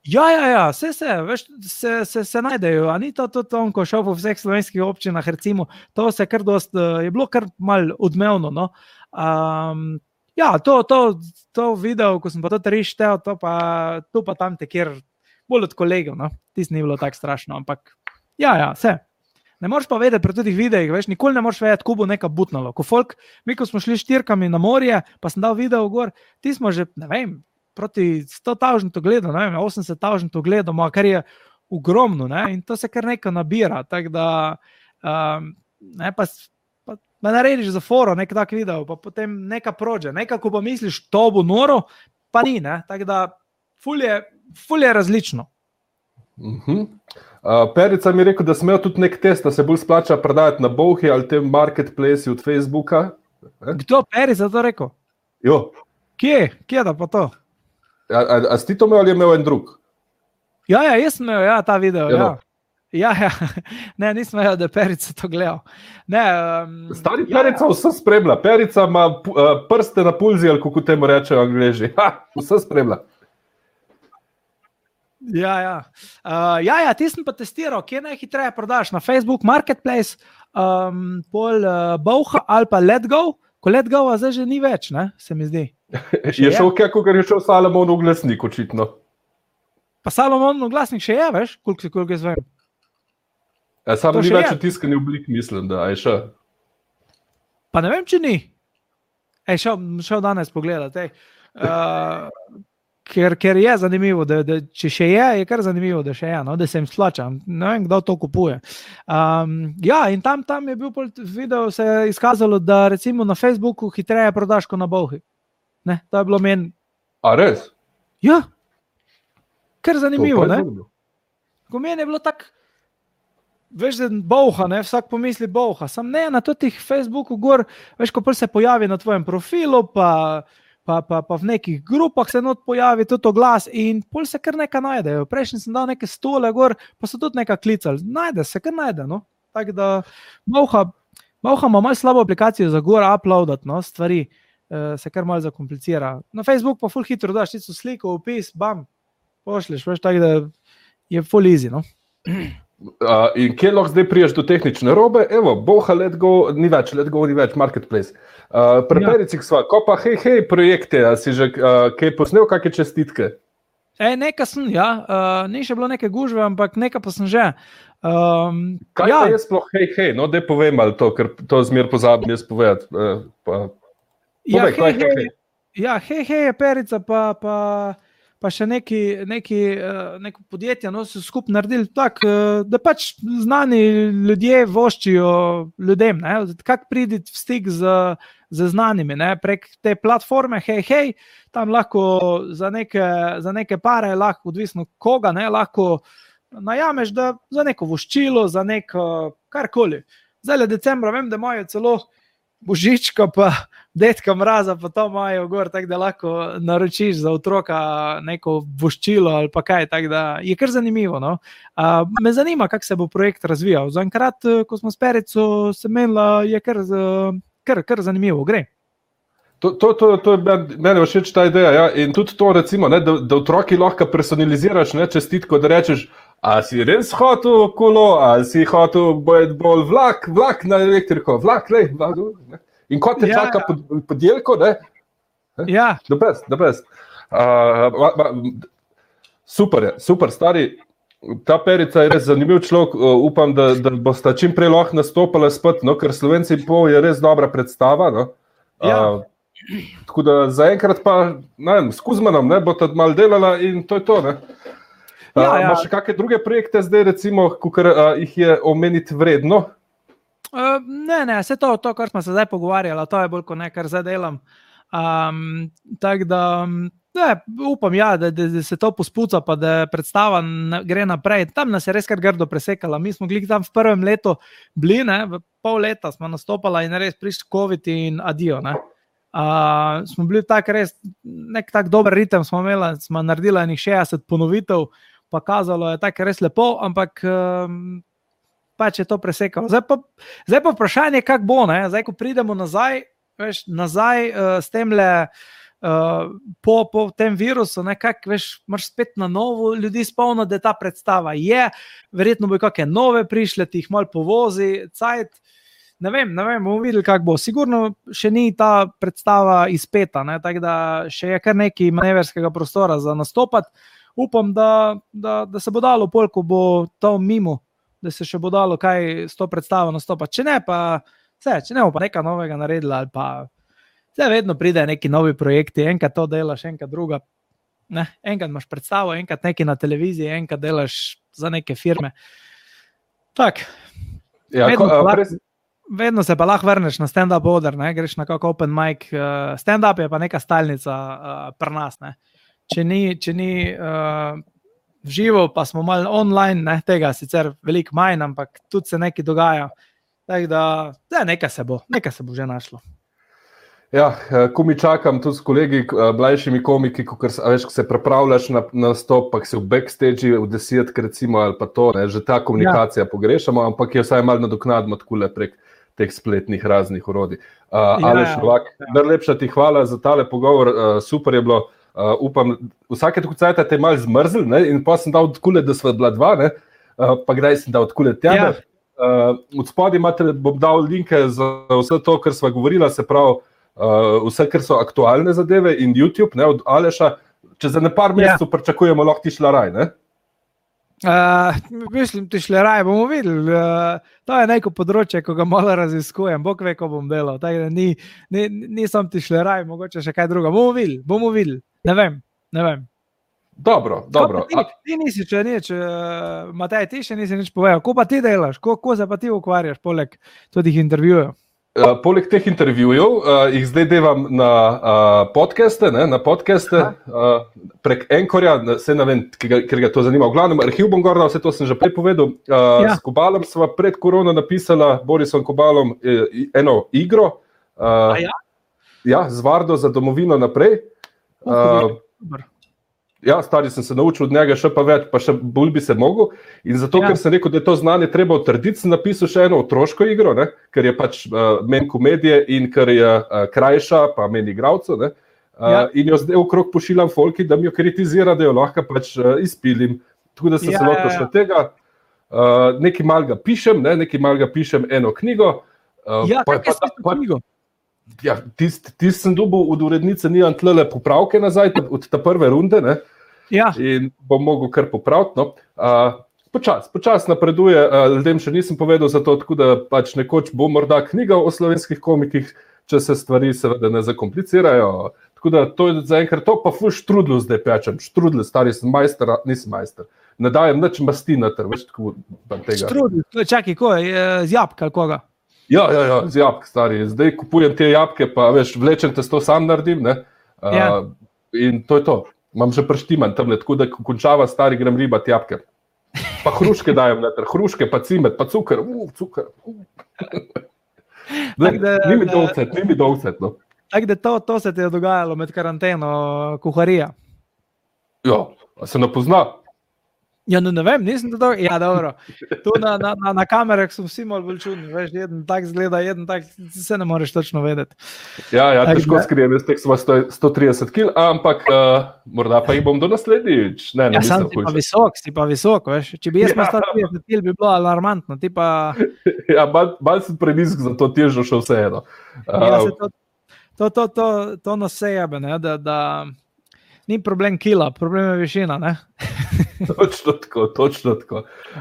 Ja, ja, ja, vse se, veš, se, se, se najdejo, a ni to tudi on, ko šel po vseh slovenskih občinah, recimo, to se kar dost, je bilo kar mal odmevno, no. Um, ja, to, to, to video, ko sem pa to trištel, to pa, tu pa tam te kjer, bolj od kolegov, no, tis ni bilo tako strašno, ampak, ja, ja, vse. Ne moreš pa vedeti pri tudi videih, veš, nikoli ne moreš vedeti, ko bo neka butnalo, ko folk, mi ko smo šli štirkami na morje, pa sem dal video gor, ti smo že, ne vem, proti sto tisoč ogledov, ne vem, osemdeset tisoč ogledov, kar je ogromno, ne, in to se kar nekaj nabira, tako da Um, ne, pa, pa, pa narediš za foro nek tak video, pa potem neka prođe. Nekako pa misliš, to bo noro, pa ni. Ne? Tako da ful je, ful je različno. Uh-huh. Uh, Perica mi je rekel, da smejo tudi nek test, da se bolj splača prodajati na Bolhi ali tem marketplace od Facebooka. Eh? Kdo Perica to rekel? Jo. Kje? Kje da pa to? A, a, a si ti to imel ali je imel en drug? Ja, ja, jaz sem imel ja, ta video. Ja, no. Ja, ja. Ne, nisem imel, da je Perica to gledal. Ne, um, Stari Perica ja, ja. Vse spremlja. Perica ima uh, prste na pulzi, ali kako temu rečejo Angleži. Ha, vse spremlja. Ja, ja. Uh, ja, ja, ti sem pa testiral, kje najhitreje prodaš na Facebook Marketplace, um, pol uh, Bolha ali pa Letgo. Ko Letgo zdaj že ni več, ne, se mi zdi. Je šel kaj, ko je šel Salomon v glasnik, očitno. Pa Salomon v glasnik še je, veš, koliko si koliko jaz vem. Ja, samo ni več tiskani oblik, mislim, da je še. Pa ne vem, če ni. Ej, šel, šel danes pogledati. Uh, ker, ker je zanimivo, da, da če še je, je kar zanimivo, da še je, no, da se jim splača. Ne vem, kdo to kupuje. Um, ja, in tam, tam je bil video, se je izkazalo, da recimo na Facebooku hitreje prodaš kot na Bolhi. Ne, to je bilo meni. A res? Ja. Kar zanimivo, ne? Zanimivo. Ko meni je bilo tako, veš, da Bolha, ne, vsak pomisli Bolha, sam ne, na totih Facebooku gor, veš, ko prv se pojavi na tvojem profilu, pa, pa, pa, pa v nekih grupah se not pojavi tudi oglas in pol se kar nekaj najdejo. Prejšnji sem dal neke stole gor, pa so tudi nekaj klicali. Najde se, kar najde, no. Tako da Bolha, Bolha ima malo slabo aplikacijo za gor uploadat, no, stvari, uh, se kar malo zakomplicira. Na Facebook pa ful hitro daš tisto sliko, opis, bam, pošliš, veš, tako da je full easy, no. Uh, in kje lahko zdaj priješ do tehnične robe? Evo, Bolha, Letgo, ni več, Letgo ni več, Marketplace. Uh, pri ja. Pericih sva, ko pa hej, hej projekte, a si že uh, kaj posnel, kakšne čestitke? E, nekaj sem, ja, uh, ni še bilo neke gužve, ampak nekaj pa sem že. Um, Kaj ja. pa je sploh hej, hej, no, daj povem ali to, ker to zmer pozabim jaz povedati. Uh, pa, ja, povej, hej, hej, hej. Ja, hej, hej je Perica, pa... pa pa še neki, neki, neko podjetje, no, so skupaj naredili tak, da pač znani ljudje voščijo ljudem, ne, kak priditi v stik z, z znanimi, ne, prek te platforme, hej, hej, tam lahko za neke, za neke pare, lahko odvisno koga, ne, lahko najameš, da za neko voščilo, za neko karkoli. Zdaj le decembra, vem, da imajo celo Božička pa detka Mraza, pa to imajo gor, tako da lahko naročiš za otroka neko voščilo ali pa kaj, tako da je kar zanimivo. No? Uh, me zanima, kako se bo projekt razvijal. Za enkrat, ko smo s Perico se menila, je kar, kar, kar zanimivo, gre. To, to, to, to je meni všeč ta ideja, ja? In tudi to recimo, ne, da, da otroki lahko personaliziraš, ne, čestitko, da rečeš, a si res hotel kolo, a si hotel bolj, bolj vlak, vlak na elektriko, vlak, lej, vlak, ne. In ko te ja, čaka pod, podjelko, ne? Ja. The best, the best. Uh, ma, ma, super je, super, stari, ta Perica je res zanimiv človek, uh, upam, da, da bosta čim prej lahko nastopala spet, no, ker Slovenci in pol je res dobra predstava, no. Ja. Uh, tako da zaenkrat pa, ne vem, s Kuzmanom, ne, bo ta malo delala in to je to, ne. Uh, ja, ja. Imaš še kakšne druge projekte zdaj, recimo, kakor uh, jih je omeniti vredno? Uh, ne, ne, vse to, to, kar smo se zdaj pogovarjali, to je bolj kot ne, kar zdaj delam. Um, tako da, ne, upam, ja, da, da, da se to pospuca, pa da predstava gre naprej. Tam nas je res kar grdo presekala. Mi smo glih tam v prvem letu bili, ne, v pol leta smo nastopala in res prišli COVID in adijo, ne. Uh, smo bili tak res, nek tak dober ritem smo imeli, smo naredili enih šestdeset ponovitev, pa kazalo je tako res lepo, ampak um, pač je to presekalo. Zdaj pa, zdaj pa vprašanje, kako bo, ne? Zdaj, ko pridemo nazaj, veš, nazaj uh, s temle, uh, po, po tem virusu, nekako, veš, moraš spet na novo ljudi spomniti, da ta predstava je, verjetno bo kakšne nove prišle, ti jih malo povozi, cajt, ne vem, ne vem, bomo videli, kako bo. Sigurno še ni ta predstava izpeta, ne? Tako da še je kar nekaj maneverskega prostora za nastopati. Upam, da, da, da se bo dalo pol, ko bo to mimo, da se še bo dalo kaj s to predstavo nastopati. Če ne, pa vse, če ne bo pa nekaj novega naredila, ali pa vse vedno pride neki novi projekti, enkrat to delaš, enkrat druga. Ne? Enkrat imaš predstavo, enkrat nekaj na televiziji, enkrat delaš za neke firme. Tak. Ja, vedno, ko, a, lahko, pres... vedno se pa lahko vrneš na stand-up oder, ne? Greš na kak open mic. Uh, stand-up je pa neka stalnica uh, pri nas. Ne? Če ni, če ni uh, v živo, pa smo malo online, ne? Tega sicer veliko manj, ampak tudi se nekaj dogaja. Tako da, da nekaj se bo, nekaj se bo že našlo. Ja, ko mi čakam tudi s kolegi, mlajšimi komiki, ko se pripravljaš na nastop, pa si v backstage v desetk recimo ali pa to, ne, že ta komunikacija ja. pogrešamo, ampak je vsaj malo nadoknadimo takole prek teh spletnih raznih orodij. Uh, ja, Aleš Novak, ja. najlepša ti hvala za tale pogovor, uh, super je bilo, uh, upam, vsake tako cajta te je malo zmrzl, ne, in pa sem dal odkule, da sva bila dva, ne, uh, pa kdaj sem dal odkule tebe. Ja. Uh, od spodaj imate, bom dal linke za vse to, kar sva govorila, se pravi, Uh, vse, kar so aktualne zadeve in YouTube, ne, od Aleša, če za ne par mesecev ja. pričakujemo, lahko ti šla raj, ne? Uh, mislim, ti šla raj, bomo videli. Uh, to je neko področje, ko ga malo raziskujem, bog ve, ko bom delal. Tako da ni, ni, nisem ti šla raj, mogoče še kaj druga. Bomo videli, bomo videli. Ne vem, ne vem. Dobro, dobro. Ti, ti nisi, če nič, uh, Matej, ti še nisi nič povedal. Ko pa ti delaš, ko, ko se pa ti ukvarjaš, poleg todih intervjujev? Uh, poleg teh intervjujev uh, jih zdaj devam na uh, podcaste, ne, na podcaste uh, prek Anchorja, se ne vem, ker ga to zanima. V glavnem, arhiv bom gor, vse to sem že prej povedal. Uh, ja. S Kobalom sva pred korono napisala, Borisom Kobalom, eno igro. Uh, ja? Ja, z Vardo za domovino naprej. Uh, Ja, stari sem se naučil od njega še pa več, pa še bolj bi se mogel. In zato, ja. ker sem rekel, da je to znanje treba utrditi, sem napisal še eno otroško igro, ne? Ker je pač uh, meni komedije in ker je uh, krajša, pa meni igralcev. Uh, ja. In jo zdaj okrog pošiljam folki, da mi jo kritizira, da jo lahko pač uh, izpilim. Tako da sem ja, se lotil še ja, ja. tega. Uh, nekaj malega pišem, ne? nekaj malega pišem eno knjigo. Uh, ja, pa, kaj pa, je pa, knjigo? Ja, tist, tist sem dobil od urednice, nijam tlele popravke nazaj, od ta prve runde, ne? Ja. In bom mogel kar popraviti. No. Uh, počas, počas napreduje, uh, ljudem še nisem povedal za to, tako da pač nekoč bo morda knjiga o slovenskih komikih, če se stvari seveda ne zakomplicirajo. Tako da to je zaenkrat to, pa ful štrudlu zdaj pečem. Štrudlu, stari sem majster, nisem majster. Ne dajem nič masti noter, več tako tega. Štrudlu, čakaj, ko je, z jabka ali koga? Ja, ja, ja, z jabk, stari. Zdaj kupujem te jabke, pa veš, vlečem te, to sam naredim, ne? Uh, ja. In to je to. Imam že prštiman tamle, tako da ko končava stari, grem ribat jabke. Pa hruške dajem noter, hruške, pa cimet, pa cukr, uf, cukr. Ne, ni mi dolcet, ni mi dolcet, no. Tako da to, to se ti je dogajalo med karanteno, kuharija? Ja, a se ne pozna? Ja, no ne vem, nisem to dobro. Ja, dobro. Tu na, na, na, na kamerah so vsi malo bolj čudni, veš, jeden tak zgleda, jeden tak, se ne moreš točno vedeti. Ja, ja, težko skrijem, jaz tek smo sto trideset kil, ampak uh, morda pa jih bom do naslednjič. Ne, ne, ja, sam si pa visok, si pa visok, veš. Če bi jaz ja. sto trideset kil, bi bilo alarmantno, ti pa... Ja, mal, mal sem prenisk, zato težo še vseeno. Uh, ja, se to, to, to, to, to nas sejebe, ne, da... da... Ni problem kila, problem je višina, ne? Točno tako, točno tako.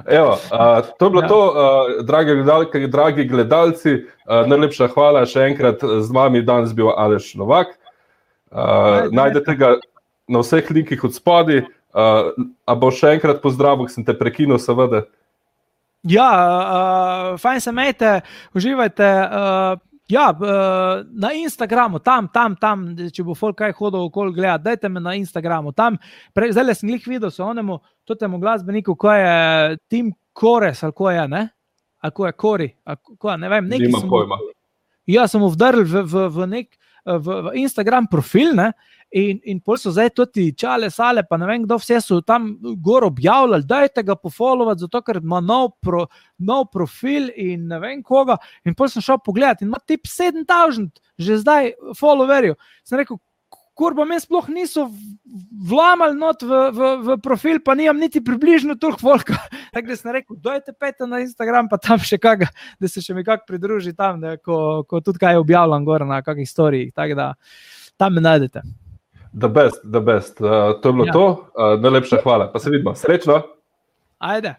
Evo, uh, to je bilo ja. to, uh, dragi gledalke, dragi gledalci, uh, najlepša hvala še enkrat, z vami danes bil Aleš Novak. Uh, najdete ga na vseh linkih od spodaj. Uh, a bo še enkrat pozdravil, sem te prekinil, seveda. Ja, uh, fajn se imejte, uživajte. Uh, Ja, na Instagramu, tam, tam, tam, če bo folk kaj hodil okoli gledati, dajte me na Instagramu, tam, pre, zdaj sem glih videl so onemu, totemu glasbeniku, ko je Tim Kores, ali ko je, ne? Ali ko je Kori, ali ko je, ne vem, neki Nima sem... pojma. Ja, sem mu vdrl v, v, v nek, v, v Instagram profil, ne? In, in pol so zdaj tudi čale, sale, pa ne vem, kdo vse so tam gor objavljali, dajte ga pofollowati, zato ker ima nov, pro, nov profil in ne vem koga. In pol sem šel pogledati in ima tip sedem tisoč že zdaj followerjev. Sem rekel, kurba, me sploh niso vlamali not v, v, v profil, pa nimam niti približno toliko volka. Tako da sem rekel, dajte pejte na Instagram, pa tam še kaga, da se še mi kak pridruži tam, da, ko, ko tudi kaj objavljam gor na kakih storijih. Tako da tam me najdete. The best, the best. Uh, to je bilo ja. to. Uh, najlepša hvala. Pa se vidimo. Srečno. Ajde.